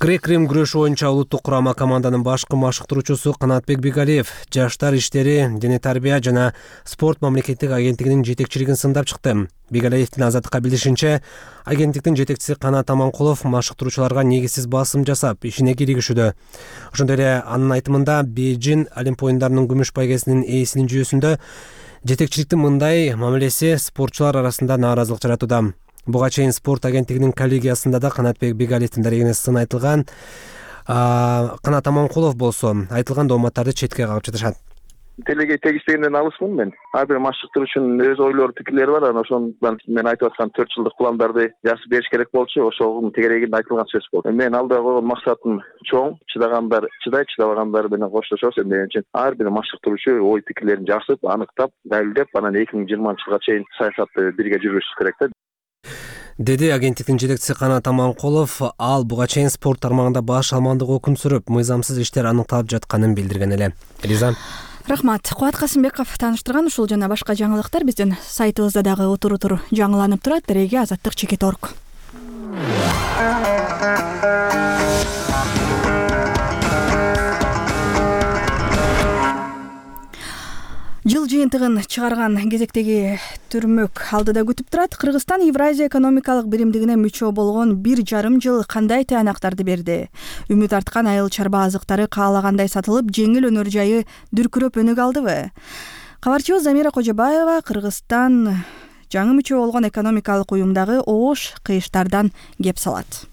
Speaker 3: Грек-Рим күрөшү боюнча улуттук курама команданын башкы машыктыруучусу Канатбек Бигалиев жаштар иштери, дене тарбия жана спорт мамлекеттик агенттигинин жетекчилигин сындап чыкты. Бигалиевдин Азаттыкка билдиришинче, агенттиктин жетекчиси Канат Аманкулов машыктыруучуларга негизсиз басым жасап, ишине киригишүүдө. Ошондой эле анын айтымында Бейжин Олимп оюндарынын күмүш байгесинин ээсинин жүйөсүндө жетекчиликтин мындай мамилеси спортчулар арасында нааразылык жаратууда. Буга чейин спорт агенттигинин коллегиясында да Канатбек Бигалиевдин дарегине сын айтылган. Канат Аманкулов болсо айтылган дооматтарды четке кагып жатышат.
Speaker 14: Телеге тегиштегенден алысмын мен. Ар бир машыктыруучунун өз ойлору, пикирлери бар. Анан ошондон мен айтып аткан төрт жылдык пландарды жазып бериш керек болчу. Ошонун тегерегинде айтылган сөз болду. Мен алдыга койгон максатым чоң. Чыдагандар чыдайт, чыдабагандар менен коштошобуз. Эмне үчүн ар бир машыктыруучу ой пикирлерин жазып, аныктап, далилдеп, анан эки миң жыйырманчы жылга чейин саясатты бирге жүргүзүш керек да.
Speaker 3: Деди агенттиктин жетекчиси Канат Аманкулов. Ал буга чейин спорт тармагында баш алмандыгы өкүм сүрүп, мыйзамсыз иштер аныкталып жатканын билдирген эле. Элиза.
Speaker 1: Рахмат. Кубат Касымбеков тааныштырган ушул жана башка жаңылыктар биздин сайтыбызда дагы утур-утур жаңыланып турат. Дереге Азаттык чекит орг. Жыл жыйынтыгын чыгарган кезектеги түрмөк алдыда күтүп турат. Кыргызстан Евразия экономикалык биримдигине мүчө болгон бир жарым жыл кандай таянактарды берди? Үмүт арткан айыл чарба азыктары каалагандай сатылып, жеңил өнөр жайы дүркүрөп өнүк алдыбы? Кабарчыбыз Замира Кожобаева Кыргызстан жаңы мүчө болгон экономикалык уюмдагы оош кыйыштардан кеп салат.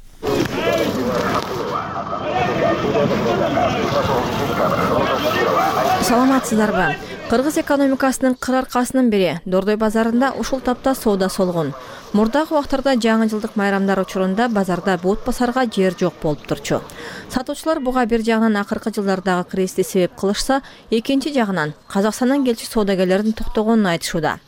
Speaker 6: Саламатсыздарбы? Кыргыз экономикасынын кыр аркасынын бири Дордой базарында ушул тапта соода солгон. Мурдагы убактарда жаңы жылдык майрамдар учурунда базарда бут басарга жер жок болуп турчу. Сатуучулар буга бир жагынан акыркы жылдардагы кризисти себеп кылышса, экинчи жагынан Казакстандан келчү соодагерлердин токтогонун айтышууда.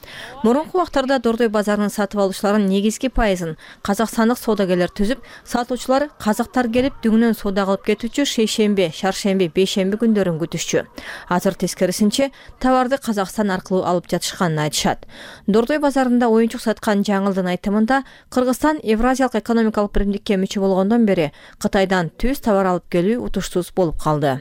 Speaker 6: Мурунку убактарда Дордой базарынын сатып алуучуларынын негизги пайызын казакстандык соодагерлер түзүп, сатуучулар казактар келип дүңүнөн соода кылып кетүүчү шейшемби, шаршемби, бейшемби күндөрүн күтүшчү. Азыр тескерисинче товарды Казакстан аркылуу алып жатышканын айтышат. Дордой базарында оюнчук саткан жаңылдын айтымында Кыргызстан Евразиялык экономикалык биримдикке мүчө болгондон бери Кытайдан түз товар алып келүү утуштуз болуп калды.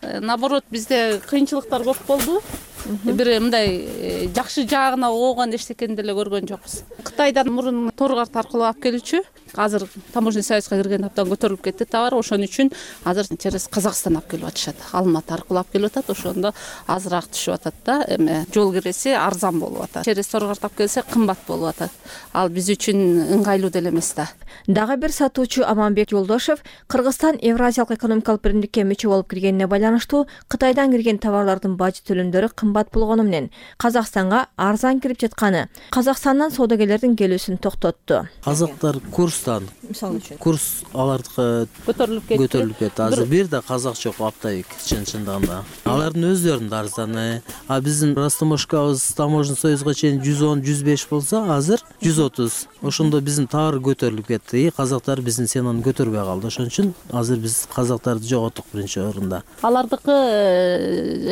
Speaker 7: Наоборот, бизде кыйынчылыктар көп болду. Бир мындай жакшы жагына оогон эчтекени деле көргөн жокпуз. Кытайдан мурун торгарт аркылуу алып келүүчү, азыр таможенный союзга кирген абдан көтөрүлүп кетти товар. Ошон үчүн азыр через Казакстан алып келип атышат. Алматы аркылуу алып келип атат, ошондо азыраак түшүп атат да. Эме жол киреси арзан болуп атат. Через торгарт алып келсе кымбат болуп атат. Ал биз үчүн ыңгайлуу деле эмес да.
Speaker 6: Дагы бир сатуучу Аманбек Жолдошев Кыргызстан Евразиялык экономикалык биримдикке мүчө болуп киргенине байланыштуу Кытайдан кирген товарлардын бажы төлөмдөрү кымбат болгону менен Казакстанга арзан кирип жатканы Казакстандан соодагерлердин келүүсүн токтотту.
Speaker 2: Казактар курстан,
Speaker 6: мисалы үчүн,
Speaker 2: курс алардыкы
Speaker 7: көтөрүлүп кетти.
Speaker 2: Көтөрүлүп кетти. Азыр бир да казак жок аптайык чын-чындыгында. Алардын өздөрүнүн арзаны. А биздин растаможкабыз таможенный союзга чейин жүз он жүз беш болсо, азыр жүз отуз. Ошондо биздин товар көтөрүлүп кетти. Казактар биздин ценаны көтөрбөй калды. Ошон үчүн азыр биз казактарды жоготтук биринчи орунда.
Speaker 7: Алардыкы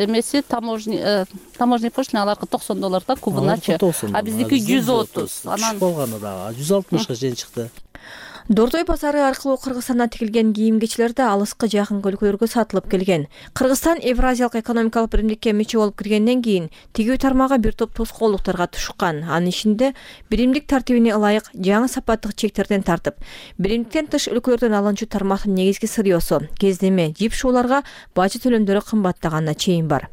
Speaker 7: эмеси таможня таможня пошлина аларга токсон доллар да кубуначы. А биздики жүз отуз.
Speaker 2: Анан болгону дагы жүз алтымышка чейин чыкты.
Speaker 6: Дордой базары аркылуу Кыргызстандан тигилген кийим-кечилер да алыскы жакынкы өлкөлөргө сатылып келген. Кыргызстан Евразиялык экономикалык биримдикке мүчө болуп киргенден кийин тигүү тармагы бир топ тоскоолдуктарга тушкан. Анын ичинде биримдик тартибине ылайык жаңы сапаттык чектерден тартып, биримдиктен тыш өлкөлөрдөн алынчу тармактын негизги сырьёсу, кездеме, жип шууларга бажы төлөмдөрү кымбаттаганына чейин бар.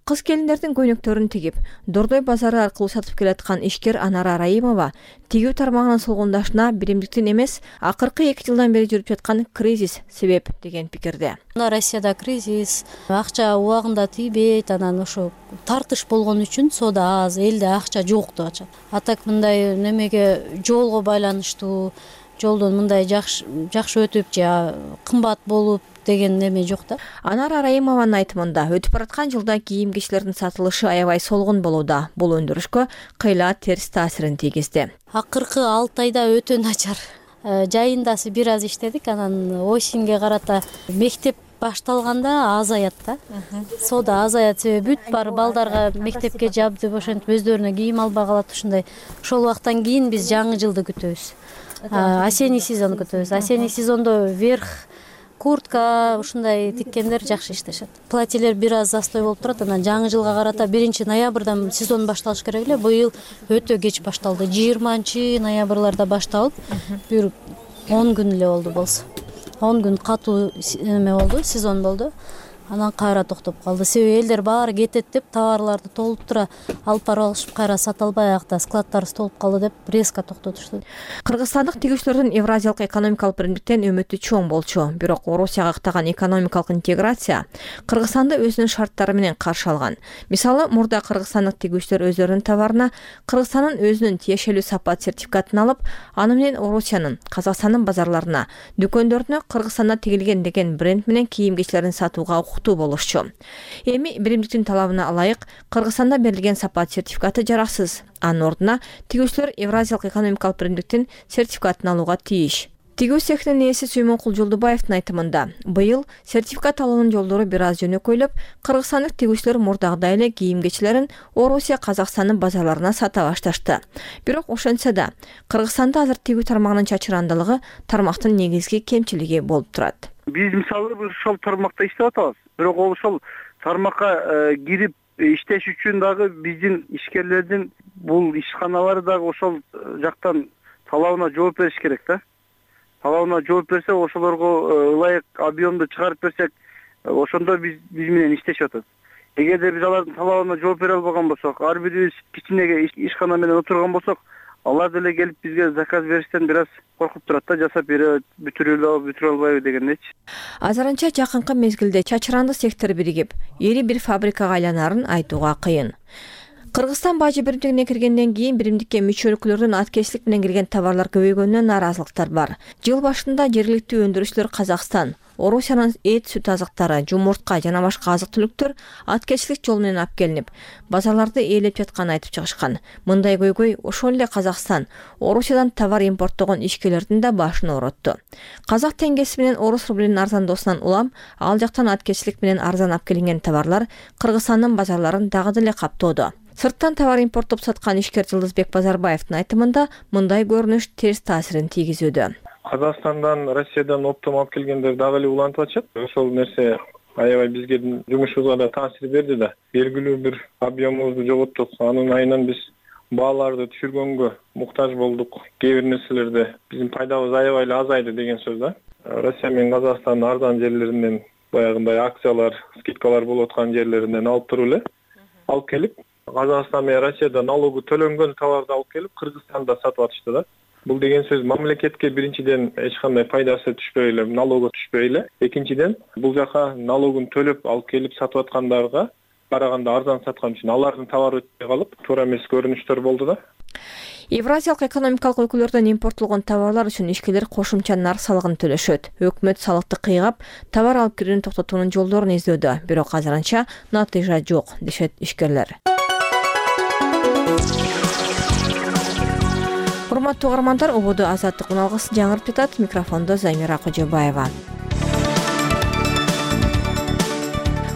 Speaker 6: Кыз келиндердин көйнөктөрүн тигип, Дордой базары аркылуу сатып келаткан ишкер Анара Раимова тигүү тармагынын солгундашына биримдиктин эмес, акыркы эки жылдан бери жүрүп жаткан кризис себеп деген пикирде.
Speaker 9: Россияда кризис, акча убагында тийбейт, анан ошо тартыш болгон үчүн соода аз, элде акча жок деп атышат. А так мындай немеге жолго байланыштуу, жолдон мындай жакшы жакшы өтүп же кымбат болуп деген неме жок да.
Speaker 6: Анара Раимованын айтымында өтүп бараткан жылда кийим-кечилердин сатылышы аябай солгун болууда. Бул өндүрүшкө кыйла терс таасирин тийгизди.
Speaker 9: Акыркы алты айда өтө начар. Жайындасы бир аз иштедик, анан осеньге карата мектеп башталганда азаят да. Соода азаят, себеби бүт баары балдарга мектепке жабдып ошентип өздөрүнө кийим албай калат ушундай. Ошол убактан кийин биз жаңы жылды күтөбүз. Осенний сезон күтөбүз. Осенний сезондо верх куртка ушундай тиккендер жакшы иштешет. Платьелер бир аз застой болуп турат. Анан жаңы жылга карата биринчи ноябрдан сезон башталыш керек эле. Быйыл өтө кеч башталды. жыйырманчы ноябрларда башталып, бир он күн эле болду болсо. он күн катуу эме болду, сезон болду. Анан кайра токтоп калды. Себеби элдер баары кетет деп товарларды толуптура алып барып алышып, кайра сата албай аякта складтарыбыз толуп калды деп резко токтотушту.
Speaker 6: Кыргызстандык тигүүчүлөрдүн Евразиялык экономикалык биримдиктен үмүтү чоң болчу. Бирок Орусияга каттаган экономикалык интеграция Кыргызстанды өзүнүн шарттары менен каршы алган. Мисалы, мурда кыргызстандык тигүүчүлөр өздөрүнүн товарына Кыргызстандын өзүнүн тиешелүү сапат сертификатын алып, аны менен Орусиянын, Казакстандын базарларына, дүкөндөрүнө Кыргызстанда тигилген деген бренд менен кийим-кечейлерин сатууга болушчу. Эми биримдиктин талабына ылайык Кыргызстанда берилген сапат сертификаты жараксыз. Анын ордуна тигүүчүлөр Евразиялык экономикалык биримдиктин сертификатын алууга тийиш. Тигүү цехинин ээси Сүймөнкул Жолдубаевдин айтымында, быйыл сертификат алуунун жолдору бир аз жөнөкөйлөп, кыргызстандык тигүүчүлөр мурдагыдай эле кийим-кечелерин Орусия, Казакстандын базарларына сата башташты. Бирок ошентсе да, Кыргызстанда азыр тигүү тармагынын чачырандылыгы тармактын негизги кемчилиги болуп турат.
Speaker 5: Биз мисалы ошол тармакта иштеп атабыз. Бирок ол ошол тармакка кирип иштеш үчүн дагы биздин ишкерлердин бул ишканалары дагы ошол жактан талабына жооп бериш керек да. Талабына жооп берсе, ошолорго ылайык объемду чыгарып берсек, ошондо биз биз менен иштешип атат. Эгерде биз алардын талабына жооп бере албаган болсок, ар бирибиз кичине ишкана менен отурган болсок, алар деле келип бизге заказ бериштен бир аз коркуп турат да, жасап берет, бүтүрөлө бүтүрө албайбы дегендечи.
Speaker 6: Азырынча жакынкы мезгилде чачыранды сектор биригип, эри бир фабрикага айланарын айтууга кыйын. Кыргызстан бажы биримдигине киргенден кийин биримдикке мүчөлүклөрдүн аткечилик менен кирген товарлар көбөйгөнүнөн нааразылыктар бар. Жыл башында жергиликтүү өндүрүүчүлөр Казакстан, Орусиянын эт, сүт азыктары, жумуртка жана башка азык-түлүктөр аткечилик жол менен алып келинип, базарларды ээлеп жатканын айтып чыгышкан. Мындай көйгөй ошол эле Казакстан, Орусиядан товар импорттогон ишкерлердин да башын ооротту. Казак теңгеси менен орус рублинин арзандоосунан улам, ал жактан аткечилик менен арзан алып келинген товарлар Кыргызстандын базарларын дагы деле каптоодо. Сырттан товар импорттоп саткан ишкер Жылдызбек Базарбаевдин айтымында, мындай көрүнүш терс таасирин тийгизүүдө.
Speaker 11: Казакстандан, Россиядан оптом алып келгендер дагы эле улантып атышат. Ошол нерсе аябай бизге жумушубузга да таасир берди да. Белгилүү бир объемубузду жоготтук. Анын айынан биз бааларды түшүргөнгө муктаж болдук. Кээ бир нерселерде биздин пайдабыз аябай эле азайды деген сөз да. Россия менен Казакстандын арзан жерлеринен баягындай акциялар, скидкалар болуп аткан жерлеринен алып туруп эле алып келип, Казакстан менен Россияда налогу төлөнгөн товарды алып келип Кыргызстанда сатып атышты да. Бул деген сөз мамлекетке биринчиден эч кандай пайдасы түшпөй эле, налогу түшпөй эле. Экинчиден, бул жака налогун төлөп алып келип сатып аткандарга караганда арзан саткан үчүн алардын товары өтпөй калып, туура эмес көрүнүштөр болду да.
Speaker 6: Евразиялык экономикалык өлкөлөрдөн импорттолгон товарлар үчүн ишкерлер кошумча нар салыгын төлөшөт. Өкмөт салыкты кыйгап, товар алып кирүүнү токтотуунун жолдорун издөдө. Бирок азырынча натыйжа жок, дешет ишкерлер. Урматтуу угармандар, ободо азаттык уналгысы жаңырып жатат. Микрофондо Замира Кожобаева.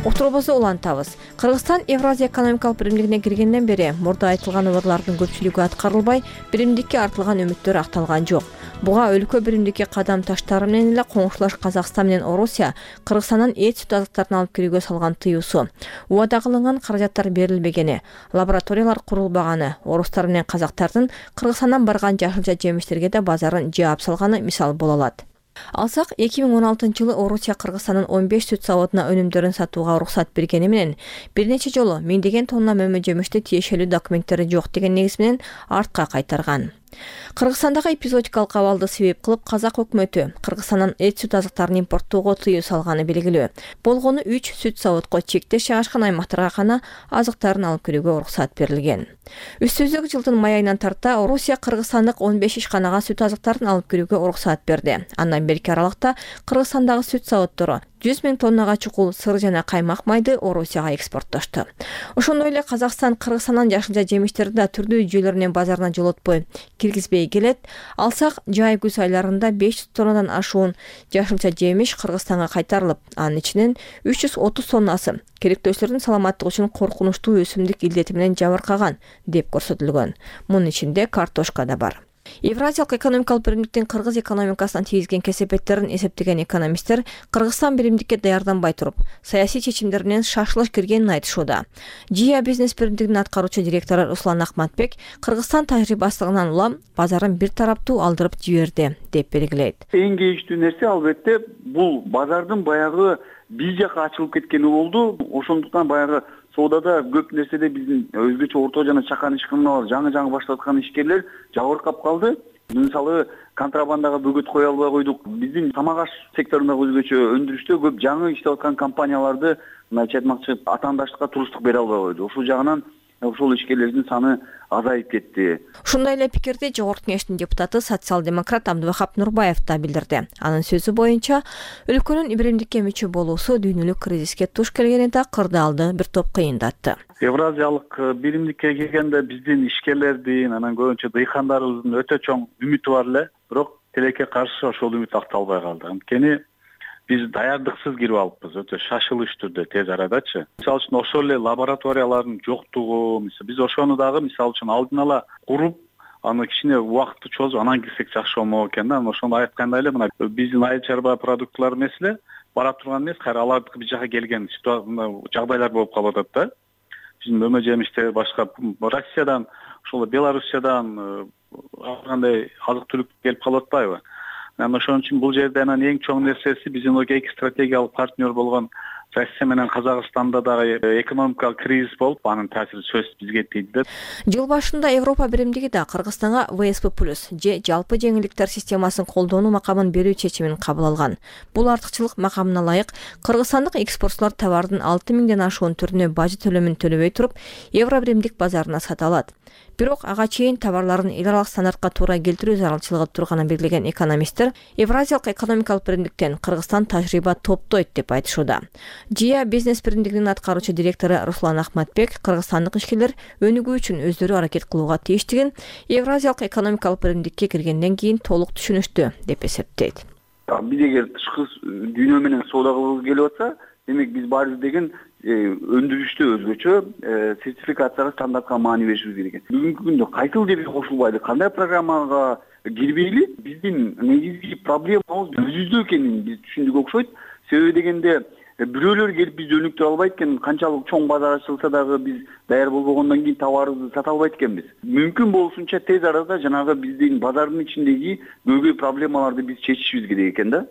Speaker 6: Уктуруубузду улантабыз. Кыргызстан Евразия экономикалык биримдигине киргенден бери мурда айтылган ыбырлардын көпчүлүгү аткарылбай, биримдикке артылган үмүттөр акталган жок. Буга өлкө биримдикке кадам таштары менен эле коңшулаш Казакстан менен Орусия Кыргызстандан эт, сүт азыктарын алып кирүүгө салган тыюусу, убада кылынган каражаттар берилбегени, лабораториялар курулбаганы, орустар менен казактардын Кыргызстандан барган жашылча жемиштерге да базарын жаап салганы мисал боло алат. Алсак, эки миң он алтынчы жылы Орусия Кыргызстандын он беш сүт заводуна өнүмдөрүн сатууга уруксат бергени менен бир нече жолу миңдеген тонна мөмө жемишти тиешелүү документтери жок деген негиз менен артка кайтарган. Кыргызстандагы эпизодикалык абалды себеп кылып казак өкмөтү Кыргызстандан эт, сүт азыктарын импорттоого тыюу салганы белгилүү. Болгону үч сүт заводко чектеш жайгашкан аймактарга гана азыктарын алып кирүүгө уруксат берилген. Үстүбүздөгү жылдын май айынан тарта Орусия Кыргызстандык он беш ишканага сүт азыктарын алып кирүүгө уруксат берди. Андан берки аралыкта Кыргызстандагы сүт заводдору
Speaker 8: жүз миң тоннага чукул сыр жана каймак майды Орусияга экспорттошту. Ошондой эле Казакстан Кыргызстандан жашылча жемиштерди да түрдүү жүйөлөрүнөн базарына жолотпой киргизбей келет. Алсак жай күз айларында беш жүз тоннадан ашуун жашылча жемиш Кыргызстанга кайтарылып, анын ичинен үч жүз отуз тоннасы керектөөчүлөрдүн саламаттыгы үчүн коркунучтуу өсүмдүк илдети менен жабыркаган деп көрсөтүлгөн. Мунун ичинде картошка да бар. Евразиялык экономикалык биримдиктин кыргыз экономикасына тийгизген кесепеттерин эсептеген экономисттер Кыргызстан биримдикке даярданбай туруп, саясий чечимдер менен шашылыш киргенин айтышууда. Жия бизнес биримдигинин аткаруучу директору Руслан Акматбек Кыргызстан тажрыйбасынан улам базарын бир тараптуу алдырып жиберди деп белгилейт.
Speaker 13: Эң кейиштүү нерсе албетте бул базардын баягы бир жака ачылып кеткени болду. Ошондуктан баягы соодада көп нерседе биздин өзгөчө орто жана чакан ишканалар жаңы-жаңы баштап аткан ишкерлер жабыркап калды. Мисалы контрабандага бөгөт кое албай койдук. Биздин тамак аш секторундагы өзгөчө өндүрүштө көп жаңы иштеп аткан компанияларды мындайча айтмакчы атаандаштыкка туруштук бере албай койду. Ушул жагынан ошол ишкерлердин саны азайып кетти.
Speaker 8: Ушундай эле пикирди Жогорку Кеңештин депутаты социал-демократ Абдывахап Нурбаев да билдирди. Анын сөзү боюнча, өлкөнүн биримдикке мүчө болуусу дүйнөлүк кризиске туш келгени такырды алды, бир топ кыйындатты.
Speaker 23: Евразиялык биримдикке келгенде биздин ишкерлердин, анан көбүнчө дыйкандарыбыздын өтө чоң үмүтү бар эле, бирок тилекке каршы ошол үмүт акталбай калды. Анткени биз даярдыксыз кирип алыппыз, өтө шашылыш түрдө тез арадачы. Мисалы үчүн ошол эле лабораториялардын жоктугу, мисалы биз ошону дагы мисалы үчүн алдын ала куруп, аны кичине убакытты чозуп анан кирсек жакшы болмок экен да. Ошону айткандай эле мына биздин айыл чарба продуктлар эмес эле бара турган эмес, кайра алардыкы бир жака келген жагдайлар болуп калып атат да. Биздин өмө жемиштер башка Россиядан, ошол Белоруссиядан ар кандай азык түлүк келип калып атпайбы? Анан ошон үчүн бул жерде анан эң чоң нерсеси биздин эки стратегиялык партнер болгон Россия менен Казакстанда дагы экономикалык кризис болуп, анын таасири сөзсүз бизге тийди да.
Speaker 8: Жыл башында Европа биримдиги да Кыргызстанга вэ эс пэ плюс же жалпы жеңилдиктер системасын колдонуу макамын берүү чечимин кабыл алган. Бул артыкчылык макамына ылайык кыргызстандык экспортчулар товардын алты миңден ашуун түрүнө бажы төлөмүн төлөбөй туруп, Евро биримдик базарына сата алат. Бирок ага чейин товарларын эл аралык стандартка туура келтирүү зарылчылыгы турганын белгилеген экономисттер Евразиялык экономикалык биримдиктен Кыргызстан тажрыйба топтойт деп айтышууда. Жия бизнес биримдигинин аткаруучу директору Руслан Акматбек кыргызстандык ишкерлер өнүгүү үчүн өздөрү аракет кылууга тийиштигин Евразиялык экономикалык биримдикке киргенден кийин толук түшүнүштү деп эсептейт.
Speaker 13: Биз эгер тышкы дүйнө менен соода кылгыбыз келип атса, демек биз баарыбыз деген өндүрүштө өзгөчө сертификацияга стандартка маани беришибиз керек. Бүгүнкү күндө кайсыл жерге кошулбайлы, кандай программага кирбейли, биздин негизги проблемабыз өзүбүздө экенин биз түшүндүк окшойт. Себеби дегенде бирөөлөр келип бизди өнүктүрө албайт экен, канчалык чоң базар ачылса дагы биз даяр болбогондон кийин товарыбызды сата албайт экенбиз. Мүмкүн болушунча тез арада жанагы биздин базардын ичиндеги көйгөй проблемаларды биз чечишибиз керек экен да.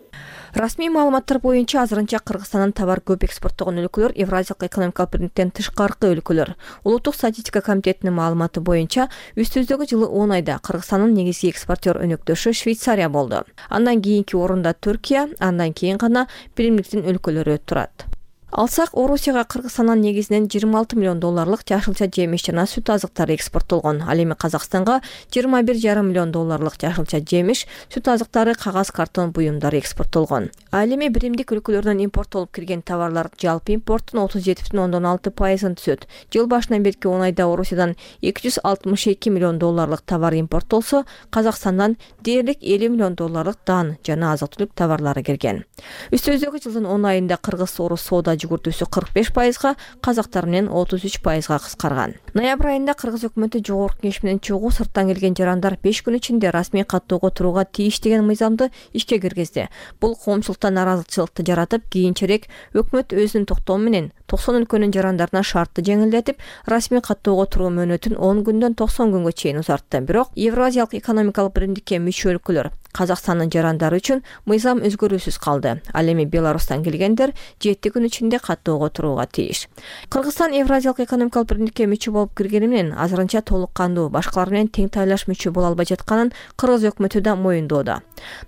Speaker 8: Расмий маалыматтар боюнча азырынча Кыргызстандан товар көп экспорттогон өлкөлөр Евразиялык экономикалык биримдиктен тышкаркы өлкөлөр. Улуттук статистика комитетинин маалыматы боюнча үстүбүздөгү жылы он айда Кыргызстандын негизги экспортер өнөктөшү Швейцария болду. Андан кийинки орунда Түркия, андан кийин гана биримдиктин өлкөлөрү турат. Алсак, Орусияга Кыргызстандан негизинен жыйырма алты миллион долларлык жашылча жемиш жана сүт азыктары экспорттолгон. Ал эми Казакстанга жыйырма бир жарым миллион долларлык жашылча жемиш, сүт азыктары, кагаз, картон буюмдары экспорттолгон. Ал эми биримдик өлкөлөрдөн импорттолуп кирген товарлар жалпы импорттун отуз жети бүтүн ондон алты пайызын түзөт. Жыл башынан берки он айда Орусиядан эки жүз алтымыш эки миллион долларлык товар импорттолсо, Казакстандан дээрлик элүү миллион долларлык дан жана азык-түлүк товарлары кирген. Үстүбүздөгү жылдын он айында кыргыз-орус соода жүгүртүүсү кырк беш пайызга, казактар менен отуз үч пайызга кыскарган. Ноябрь айында Кыргыз өкмөтү Жогорку Кеңеш менен чогуу сырттан келген жарандар беш күн ичинде расмий каттоого турууга тийиш деген мыйзамды ишке киргизди. Бул коомчулукта наразычылыкты жаратып, кийинчерээк өкмөт өзүнүн токтому менен токсон өлкөнүн жарандарына шартты жеңилдетип, расмий каттоого туруу мөөнөтүн он күндөн токсон күнгө чейин узартты. Бирок Евразиялык экономикалык биримдикке мүчө өлкөлөр Казакстандын жарандары үчүн мыйзам өзгөрүүсүз калды. Ал эми Беларустан келгендер жети күн ичинде каттоого турууга тийиш. Кыргызстан Евразиялык экономикалык биримдикке мүчө болуп киргени менен азырынча толук кандуу башкалар менен тең тайлаш мүчө боло албай жатканын Кыргыз өкмөтү да моюндоодо.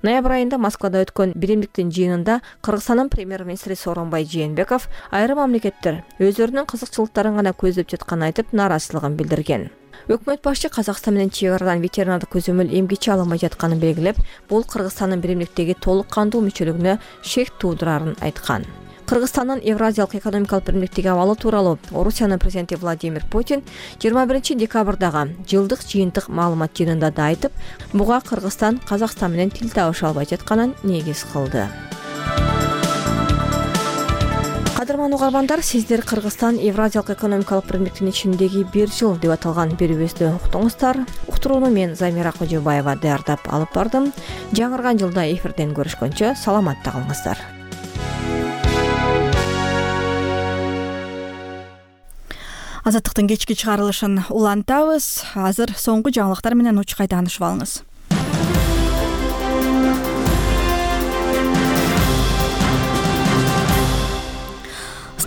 Speaker 8: Ноябрь айында Москвада өткөн биримдиктин жыйынында Кыргызстандын премьер-министри Сооронбай Жээнбеков айрым мамлекеттер өздөрүнүн кызыкчылыктарын гана көздөп жатканын айтып, нааразычылыгын билдирген. өкмөт башчы Казакстан менен чек арадан ветеринардык көзөмөл эмгичи ала алмай жатканын белгилеп, бул Кыргызстандын биримдиктеги толук кандуу мүчөлүгүнө шек туудурарын айткан. Кыргызстандын Евразиялык экономикалык биримдиктеги абалы тууралуу Орусиянын президенти Владимир Путин жыйырма биринчи декабрдагы жылдык жыйынтык маалымат жыйынында да айтып, буга Кыргызстан Казакстан менен тил табыша албай жатканын негиз кылды. Кадырман угармандар, сиздер Кыргызстан Евразиялык экономикалык биримдиктин ичиндеги бир жыл деп аталган берүүбүздү уктуңуздар. Уктурууну мен Замира Кожобаева даярдап алып бардым. Жаңырган жылда эфирден көрүшкөнчө саламатта калыңыздар.
Speaker 1: Азаттыктын кечки чыгарылышын улантабыз. Азыр соңку жаңылыктар менен учкай таанышып алыңыз.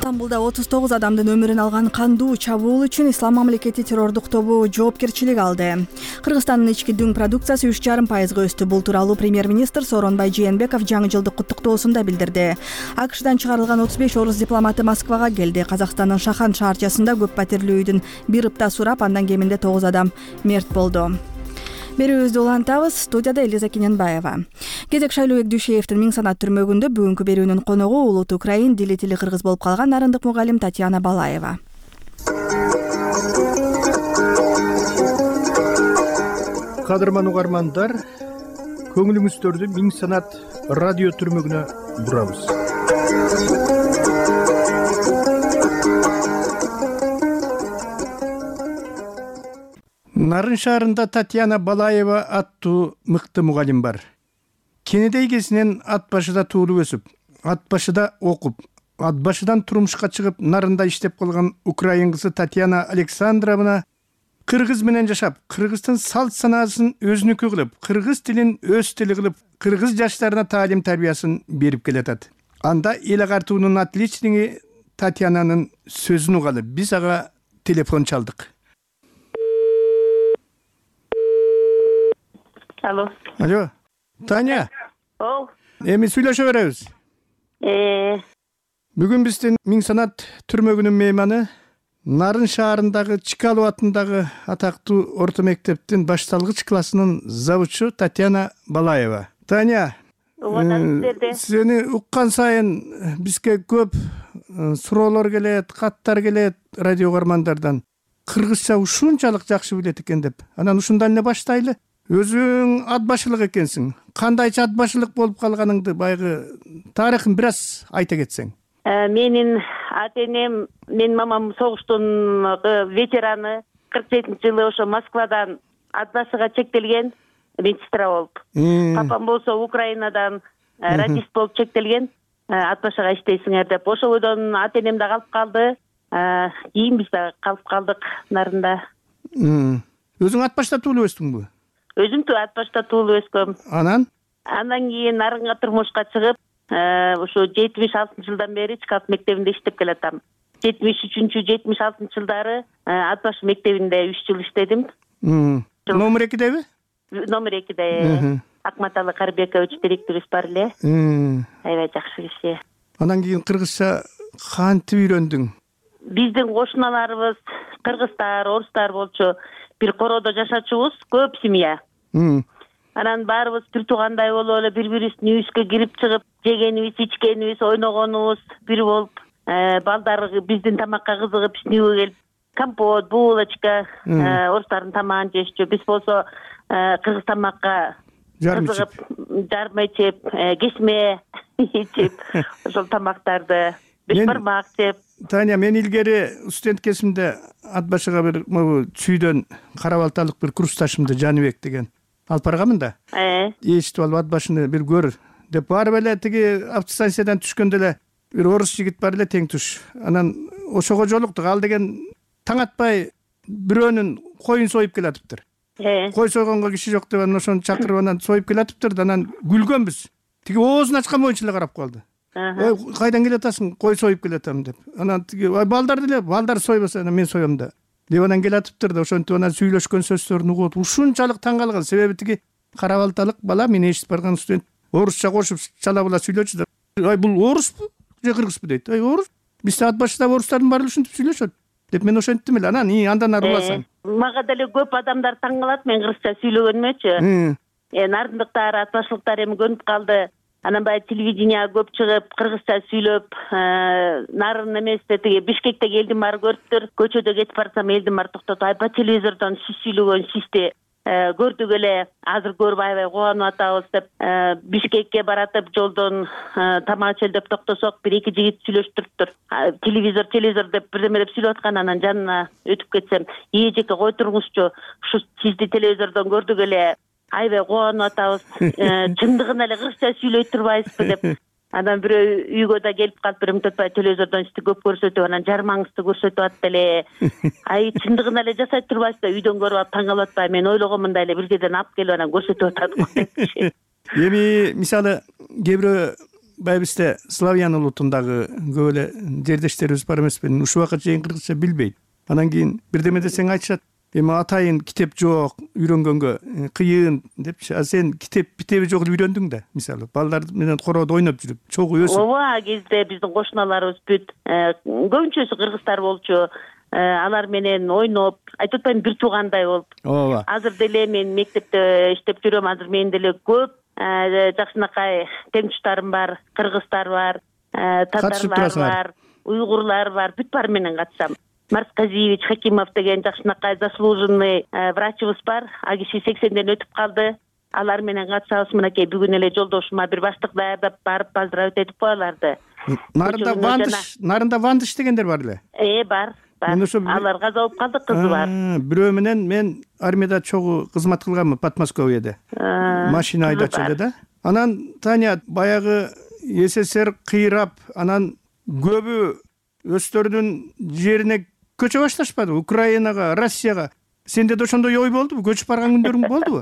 Speaker 1: Стамбулда отуз тогуз адамдын өмүрүн алган кандуу чабуул үчүн Ислам мамлекети террордук тобу жоопкерчилик алды. Кыргызстандын ички дүң продукциясы үч жарым пайызга өстү. Бул тууралуу премьер-министр Сооронбай Жээнбеков жаңы жылдык куттуктоосунда билдирди. АКШдан чыгарылган отуз беш орус дипломаты Москвага келди. Казакстандын Шахан шаарчасында көп патирлүү үйдүн бир ыптаа сурап, андан кеминде тогуз адам мерт болду. Берүүбүздү улантабыз. Студияда Элиза Кененбаева. Кезек Шайлообек Дүйшеевдин Миң санат түрмөгүндө бүгүнкү берүүнүн коногу улут украин дили тили кыргыз болуп калган нарындык мугалим Татьяна Балаева.
Speaker 10: Кадырман угармандар, көңүлүңүздөрдү Миң санат радио түрмөгүнө бурабыз. Нарын шаарында Татьяна Балаева аттуу мыкты мугалим бар. Кенедей кезинен ат башыда туулуп өсүп, ат башыда окуп, ат башыдан турмушка чыгып, нарында иштеп калган украин кызы Татьяна Александровна кыргыз менен жашап, кыргыздын салт санаасын өзүнүкү кылып, кыргыз тилин өз тили кылып, кыргыз жаштарына таалим тарбиясын берип келатат. Анда эл агартуунун отличниги Татьянанын сөзүн угалы биз ага телефон чалдык.
Speaker 22: Алло.
Speaker 10: Алло. Таня.
Speaker 22: Ол.
Speaker 10: Эми сүйлөшө беребиз.
Speaker 22: Э.
Speaker 10: Бүгүн биздин Миң санат түрмөгүнүн мейманы Нарын шаарындагы Чкалов атындагы атактуу орто мектептин башталгыч классынын завучу Татьяна Балаева. Таня, сени уккан сайын бизге көп суроолор келет, каттар келет радио угармандардан. Кыргызча ушунчалык жакшы билет экен деп. Анан ушундан эле баштайлы. Өзүң ат башылык экенсиң. Кандайча ат башылык болуп калганыңды байгы тарыхын бир аз айта кетсең.
Speaker 22: Менин ата энем, менин мамам согуштун ветераны, кырк жетинчи жылы ошо Москвадан ат башыга чектелген медсестра болуп. Папам болсо Украинадан радист болуп чектелген, ат башыга иштейсиңер деп. Ошол бойдон ата энем да калып калды. Кийин биз да калып калдык нарында.
Speaker 10: Өзүң ат башта туулуп өстүңбү?
Speaker 22: Өзүм ат башта туулуп өскөм.
Speaker 10: Анан?
Speaker 22: Андан кийин нарынга турмушка чыгып, ошо жетимиш алтынчы жылдан бери Чкалов мектебинде иштеп келатам. жетимиш үчүнчү жетимиш алтынчы жылдары ат башы мектебинде үч жыл иштедим.
Speaker 10: Номер экидеби?
Speaker 22: Номер экиде. Акматалы Карбекович директорубуз бар эле. Аябай жакшы киши.
Speaker 10: Андан кийин кыргызча кантип үйрөндүң?
Speaker 22: Биздин кошуналарыбыз кыргыздар, орустар болчу. Бир короодо жашачубуз, көп семья. Анан баарыбыз бир туугандай болуп эле бири-бирибиздин үйүбүзгө кирип чыгып, жегенибиз, ичкенибиз, ойногонубуз бир болуп, балдар биздин тамакка кызыгып, биздин келип, компот, булочка, орустардын тамагын жешчү. Биз болсо кыргыз тамакка кызыгып, жармы ичип, кесме ичип, ошол тамактарды бешбармак жеп.
Speaker 10: Таня, мен илгери студент кезимде ат башыга бир могу чүйдөн карабалталык бир курсташымды Жаныбек деген алып барганмын да. Э. Эчтип алып ат башыны бир көр деп барып эле тиги автостанциядан түшкөндө эле бир орус жигит бар эле тең туш. Анан ошого жолуктук. Ал деген таң атпай бирөөнүн коюн союп келатыптыр. Э. Кой сойгонго киши жок деп анан ошону чакырып анан союп келатыптыр да, анан күлгөнбүз. Тиги оозун ачкан боюнча эле карап калды. Ой, кайдан келатасың? Кой союп келатам деп. Анан тиги балдар деле, балдар сойбосо анан мен соём да. Деп анан келатыптыр да, ошентип анан сүйлөшкөн сөздөрүн угуп, ушунчалык таң калган. Себеби тиги карабалталык бала мен эшитип барган студент орусча кошуп чала була сүйлөчү да. Ай, бул оруспу же кыргызбы дейт. Ай, орус. Бизде ат башыда орустардын баары ушинтип сүйлөшөт деп мен ошентим эле. Анан и андан ары уласаң.
Speaker 22: мага деле көп адамдар таң калат мен кыргызча сүйлөгөнүмөчү. Э нарындыктар, атбаштылыктар эми көнүп калды. Анан баягы телевидение көп чыгып, кыргызча сүйлөп, нарын эместе тиги Бишкектеги элдин баары көрүптүр. Көчөдө кетип барсам элдин баары токтоп, айпа телевизордон сиз сүйлөгөн сизди көрдүк эле, азыр көрүп аябай кубанып атабыз деп Бишкекке баратып жолдон тамак ичели деп токтосок, бир эки жигит сүйлөшүп туруптур. Телевизор, телевизор деп бирдеме деп сүйлөп аткан, анан жанына өтүп кетсем, "Ээ жеке кой туруңузчу, ушу сизди телевизордон көрдүк эле, аябай кубанып атабыз. Чындыгын эле кыргызча сүйлөй турбайсызбы" деп. Анан бирөө үйгө да келип калып, бир мынтипай телевизордон сизди көп көрсөтүп, анан жармаңызды көрсөтүп атты эле. Ай, чындыгын эле жасай турбайсыз да, үйдөн көрүп алып таң калып атпайбы? Мен ойлогонмундай эле бир жерден алып келип анан көрсөтүп атат го.
Speaker 12: Эми мисалы кээ бирөө байыбызда славян улутундагы көп эле жердештерибиз бар эмеспи? Ушул убакка чейин кыргызча билбейт. Анан кийин бирдеме десең айтышат. Эми атайын китеп жок, үйрөнгөнгө кыйын депчи. А сен китеп битеби жок эле үйрөндүң да, мисалы. Балдар менен короодо ойноп жүрүп, чогуу өсүп.
Speaker 22: Ооба, кезде биздин кошуналарыбыз бүт көбүнчөсү кыргыздар болчу. Алар менен ойноп, айтып атпайм, бир туугандай болуп.
Speaker 12: Ооба.
Speaker 22: Азыр деле мен мектепте иштеп жүрөм. Азыр менин деле көп жакшынакай теңтуштарым бар, кыргыздар бар, татарлар бар, уйгурлар бар, бүт баары менен катышам. Марсказиевич Хакимов деген жакшынакай заслуженный врачыбыз бар. А киши сексенден өтүп калды. Алар менен катышабыз. Мынакей бүгүн эле жолдошума бир баштык даярдап барып поздравить этип коеларды.
Speaker 12: Нарында Вандыш, нарында Вандыш дегендер бар эле.
Speaker 22: Э, бар. Алар каза болуп калды, кызы бар.
Speaker 12: Бирөө менен мен армияда чогуу кызмат кылганмын, Подмосковьеде. Машина айдачу эле да. Анан Таня баягы СССР кыйрап, анан көбү өздөрүнүн жерине көчө башташпады, Украинага, Россияга. Сенде да ошондой ой болдубу? Көчүп барган күндөрүң болдубу?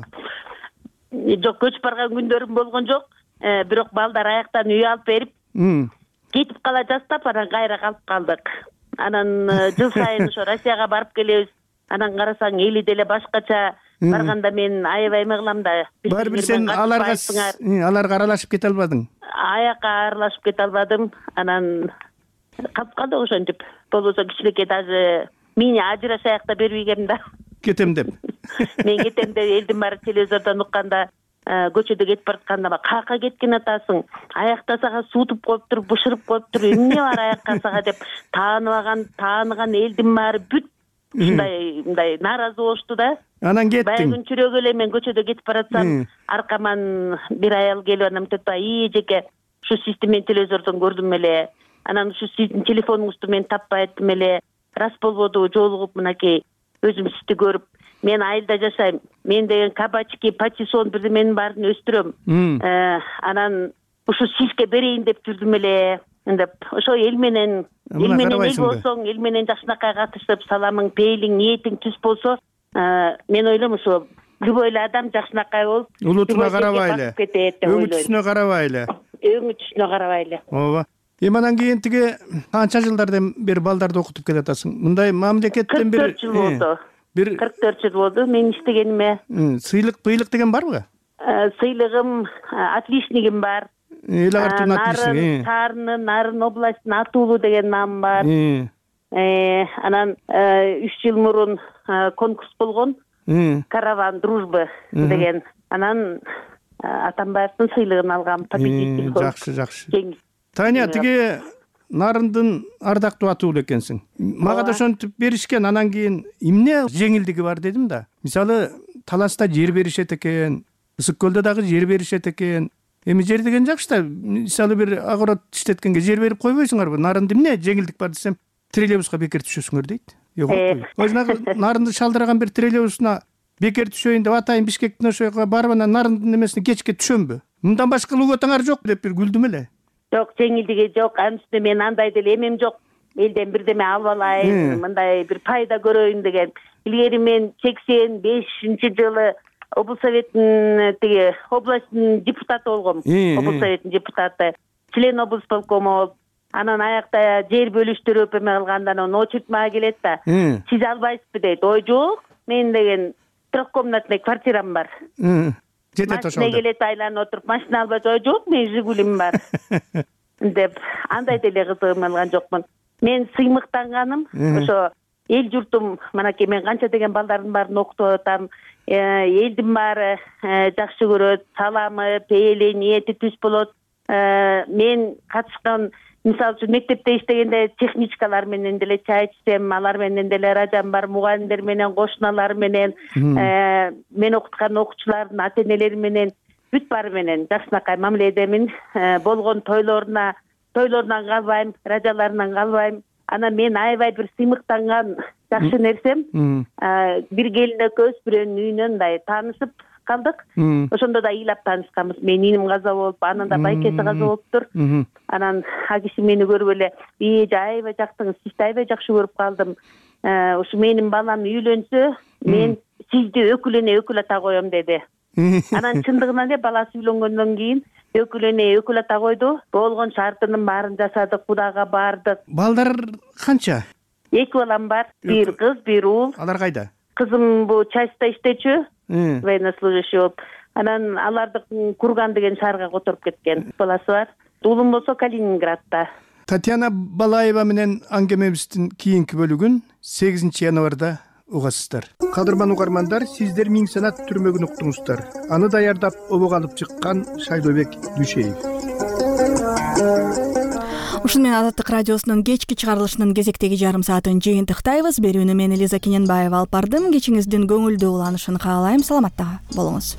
Speaker 22: Жок, көчүп барган күндөрүм болгон жок. Бирок балдар аяктан үй алып берип, кетип кала жастап, анан кайра калып калдык. Анан жыл сайын ошо Россияга барып келебиз. Анан карасаң эли деле башкача. Барганда мен аябай эме кылам да.
Speaker 12: Баары бир сен аларга аларга аралашып кете албадың.
Speaker 22: Аякка аралашып кете албадым. Анан калып калды ошентип. Болбосо кичинекей даже мени ажырашаяк да бербегем да.
Speaker 12: Кетем деп.
Speaker 22: Мен кетем деп элдин баары телевизордон укканда, көчөдө кетип баратканда каякка кеткен атасың? Аякта сага суутуп коюптур, бышырып коюптур. Эмне бар аякка сага деп тааныбаган, тааныган элдин баары бүт ушундай мындай нааразы болушту да.
Speaker 12: Анан кеттиң.
Speaker 22: Баягы чүрөгө эле мен көчөдө кетип баратсам, аркаман бир аял келип анан мынтип "Ии жеке, ушу сизди мен телевизордон көрдүм эле. Анан ушу сиздин телефонуңузду мен таппай аттым эле. Рас болбоду, жолугуп мынакей өзүм сизди көрүп. Мен айылда жашайм. Мен деген кабачки, патиссон бирдеменин баарын өстүрөм. Анан ушу сизге берейин деп жүрдүм эле." деп ошо эл менен эл менен эл болсоң, эл менен жакшынакай катышып, саламың, пейлиң, ниетиң түз болсо, мен ойлойм ошо любой эле адам жакшынакай болуп,
Speaker 12: улутуна карабай эле, өңү түсүнө карабай эле.
Speaker 22: Өңү түсүнө карабай эле.
Speaker 12: Ооба. Эми анан кийин тиги канча жылдардан бери балдарды окутуп келатасың? Мындай мамлекеттен бир
Speaker 22: кырк төрт жыл болду. Бир кырк төрт жыл болду мен иштегениме.
Speaker 12: Сыйлык, быйлык деген барбы?
Speaker 22: Сыйлыгым, отличнигим бар.
Speaker 12: Эл агартын отличник.
Speaker 22: Нарын, Нарын областынын Атуулу деген наам бар. Анан үч жыл мурун конкурс болгон. Караван дружбы деген. Анан Атамбаевдин сыйлыгын алгам.
Speaker 12: Жакшы, жакшы. Таня, тиги Нарындын ардактуу Атуулу экенсиң. Мага да ошентип беришкен, анан кийин эмне жеңилдиги бар дедим да. Мисалы, Таласта жер беришет экен, Ысык көлдө дагы жер беришет экен. Эми жер деген жакшы да. Мисалы бир огород иштеткенге жер берип койбойсуңарбы? Нарында эмне жеңилдик бар десем, троллейбуска бекер түшөсүңөр дейт. Жок. Өзүнө Нарынды шалдырган бир троллейбусуна бекер түшөйүн деп атайын Бишкектин ошо жака барып анан Нарындын эмесине кечке түшөмбү? Мындан башка луготаңар жок деп бир күлдүм эле.
Speaker 22: Жок, жеңилдиги жок. Анын үстүнө мен андай деле эмем жок. Элден бирдеме алып алайын, мындай бир пайда көрөйүн деген. Илгери мен сексен бешинчи жылы облус советтин тиги областтын депутаты болгом. Облус советтин депутаты, член облус полкомо болуп, анан аякта жер бөлүштүрүп эме кылганда анан очередь мага келет да. Сиз албайсызбы дейт. Ой, жок. Мен деген трехкомнатный квартирам бар.
Speaker 12: Жетет ошол.
Speaker 22: Машина келет, айланып отуруп, машина албайсыз. Ой, жок, мен Жигулим бар. деп андай деле кызыгым алган жокмун. Мен сыймыктанганым ошо эл журтум мынакей мен канча деген балдардын баарын окутуп атам, элдин баары жакшы көрөт, саламы, пээли, ниети түз болот. Мен катышкан мисалы үчүн мектепте иштегенде техничкалар менен деле чай ичсем, алар менен деле ыраажам бар, мугалимдер менен, кошуналар менен, мен окуткан окуучулардын ата энелери менен бүт баары менен жакшынакай мамиледемин. Болгон тойлоруна тойлорунан калбайм, ыраажаларынан калбайм. Анан мен аябай бир сыймыктанган жакшы нерсем, бир келин экөөбүз бирөөнүн үйүнөн мындай таанышып калдык. Ошондо да ыйлап таанышканбыз. Менин иним каза болуп, анын да байкеси каза болуптур. Анан а киши мени көрүп эле, "Бие аябай жактыңыз, сизди аябай жакшы көрүп калдым. Ушу менин балам үйлөнсө, мен сизди өкүлөне өкүл ата коем" деди. Анан чындыгынан эле баласы үйлөнгөндөн кийин өкүлөне өкүл ата койду. Болгон шартынын баарын жасадык, Кудайга бардык.
Speaker 12: Балдар канча?
Speaker 22: Эки балам бар. Бир кыз, бир уул.
Speaker 12: Алар кайда?
Speaker 22: Кызым бул частьта иштечү, военнослужащий болуп. Анан аларды Курган деген шаарга которуп кеткен. Баласы бар. Уулум болсо Калининградта.
Speaker 12: Татьяна Балаева менен аңгемебиздин кийинки бөлүгүн сегизинчи январда угасыздар. Кадырман угармандар, сиздер Миң санат түрмөгүн уктуңуздар. Аны даярдап обого алып чыккан Шайлообек Дүшеев.
Speaker 1: Ушуну менен Азаттык радиосунун кечки чыгарылышынын кезектеги жарым саатын жыйынтыктайбыз. Берүүнү мен Элиза Кененбаева алып бардым. Кечиңиздин көңүлдүү уланышын каалайм. Саламатта болуңуз.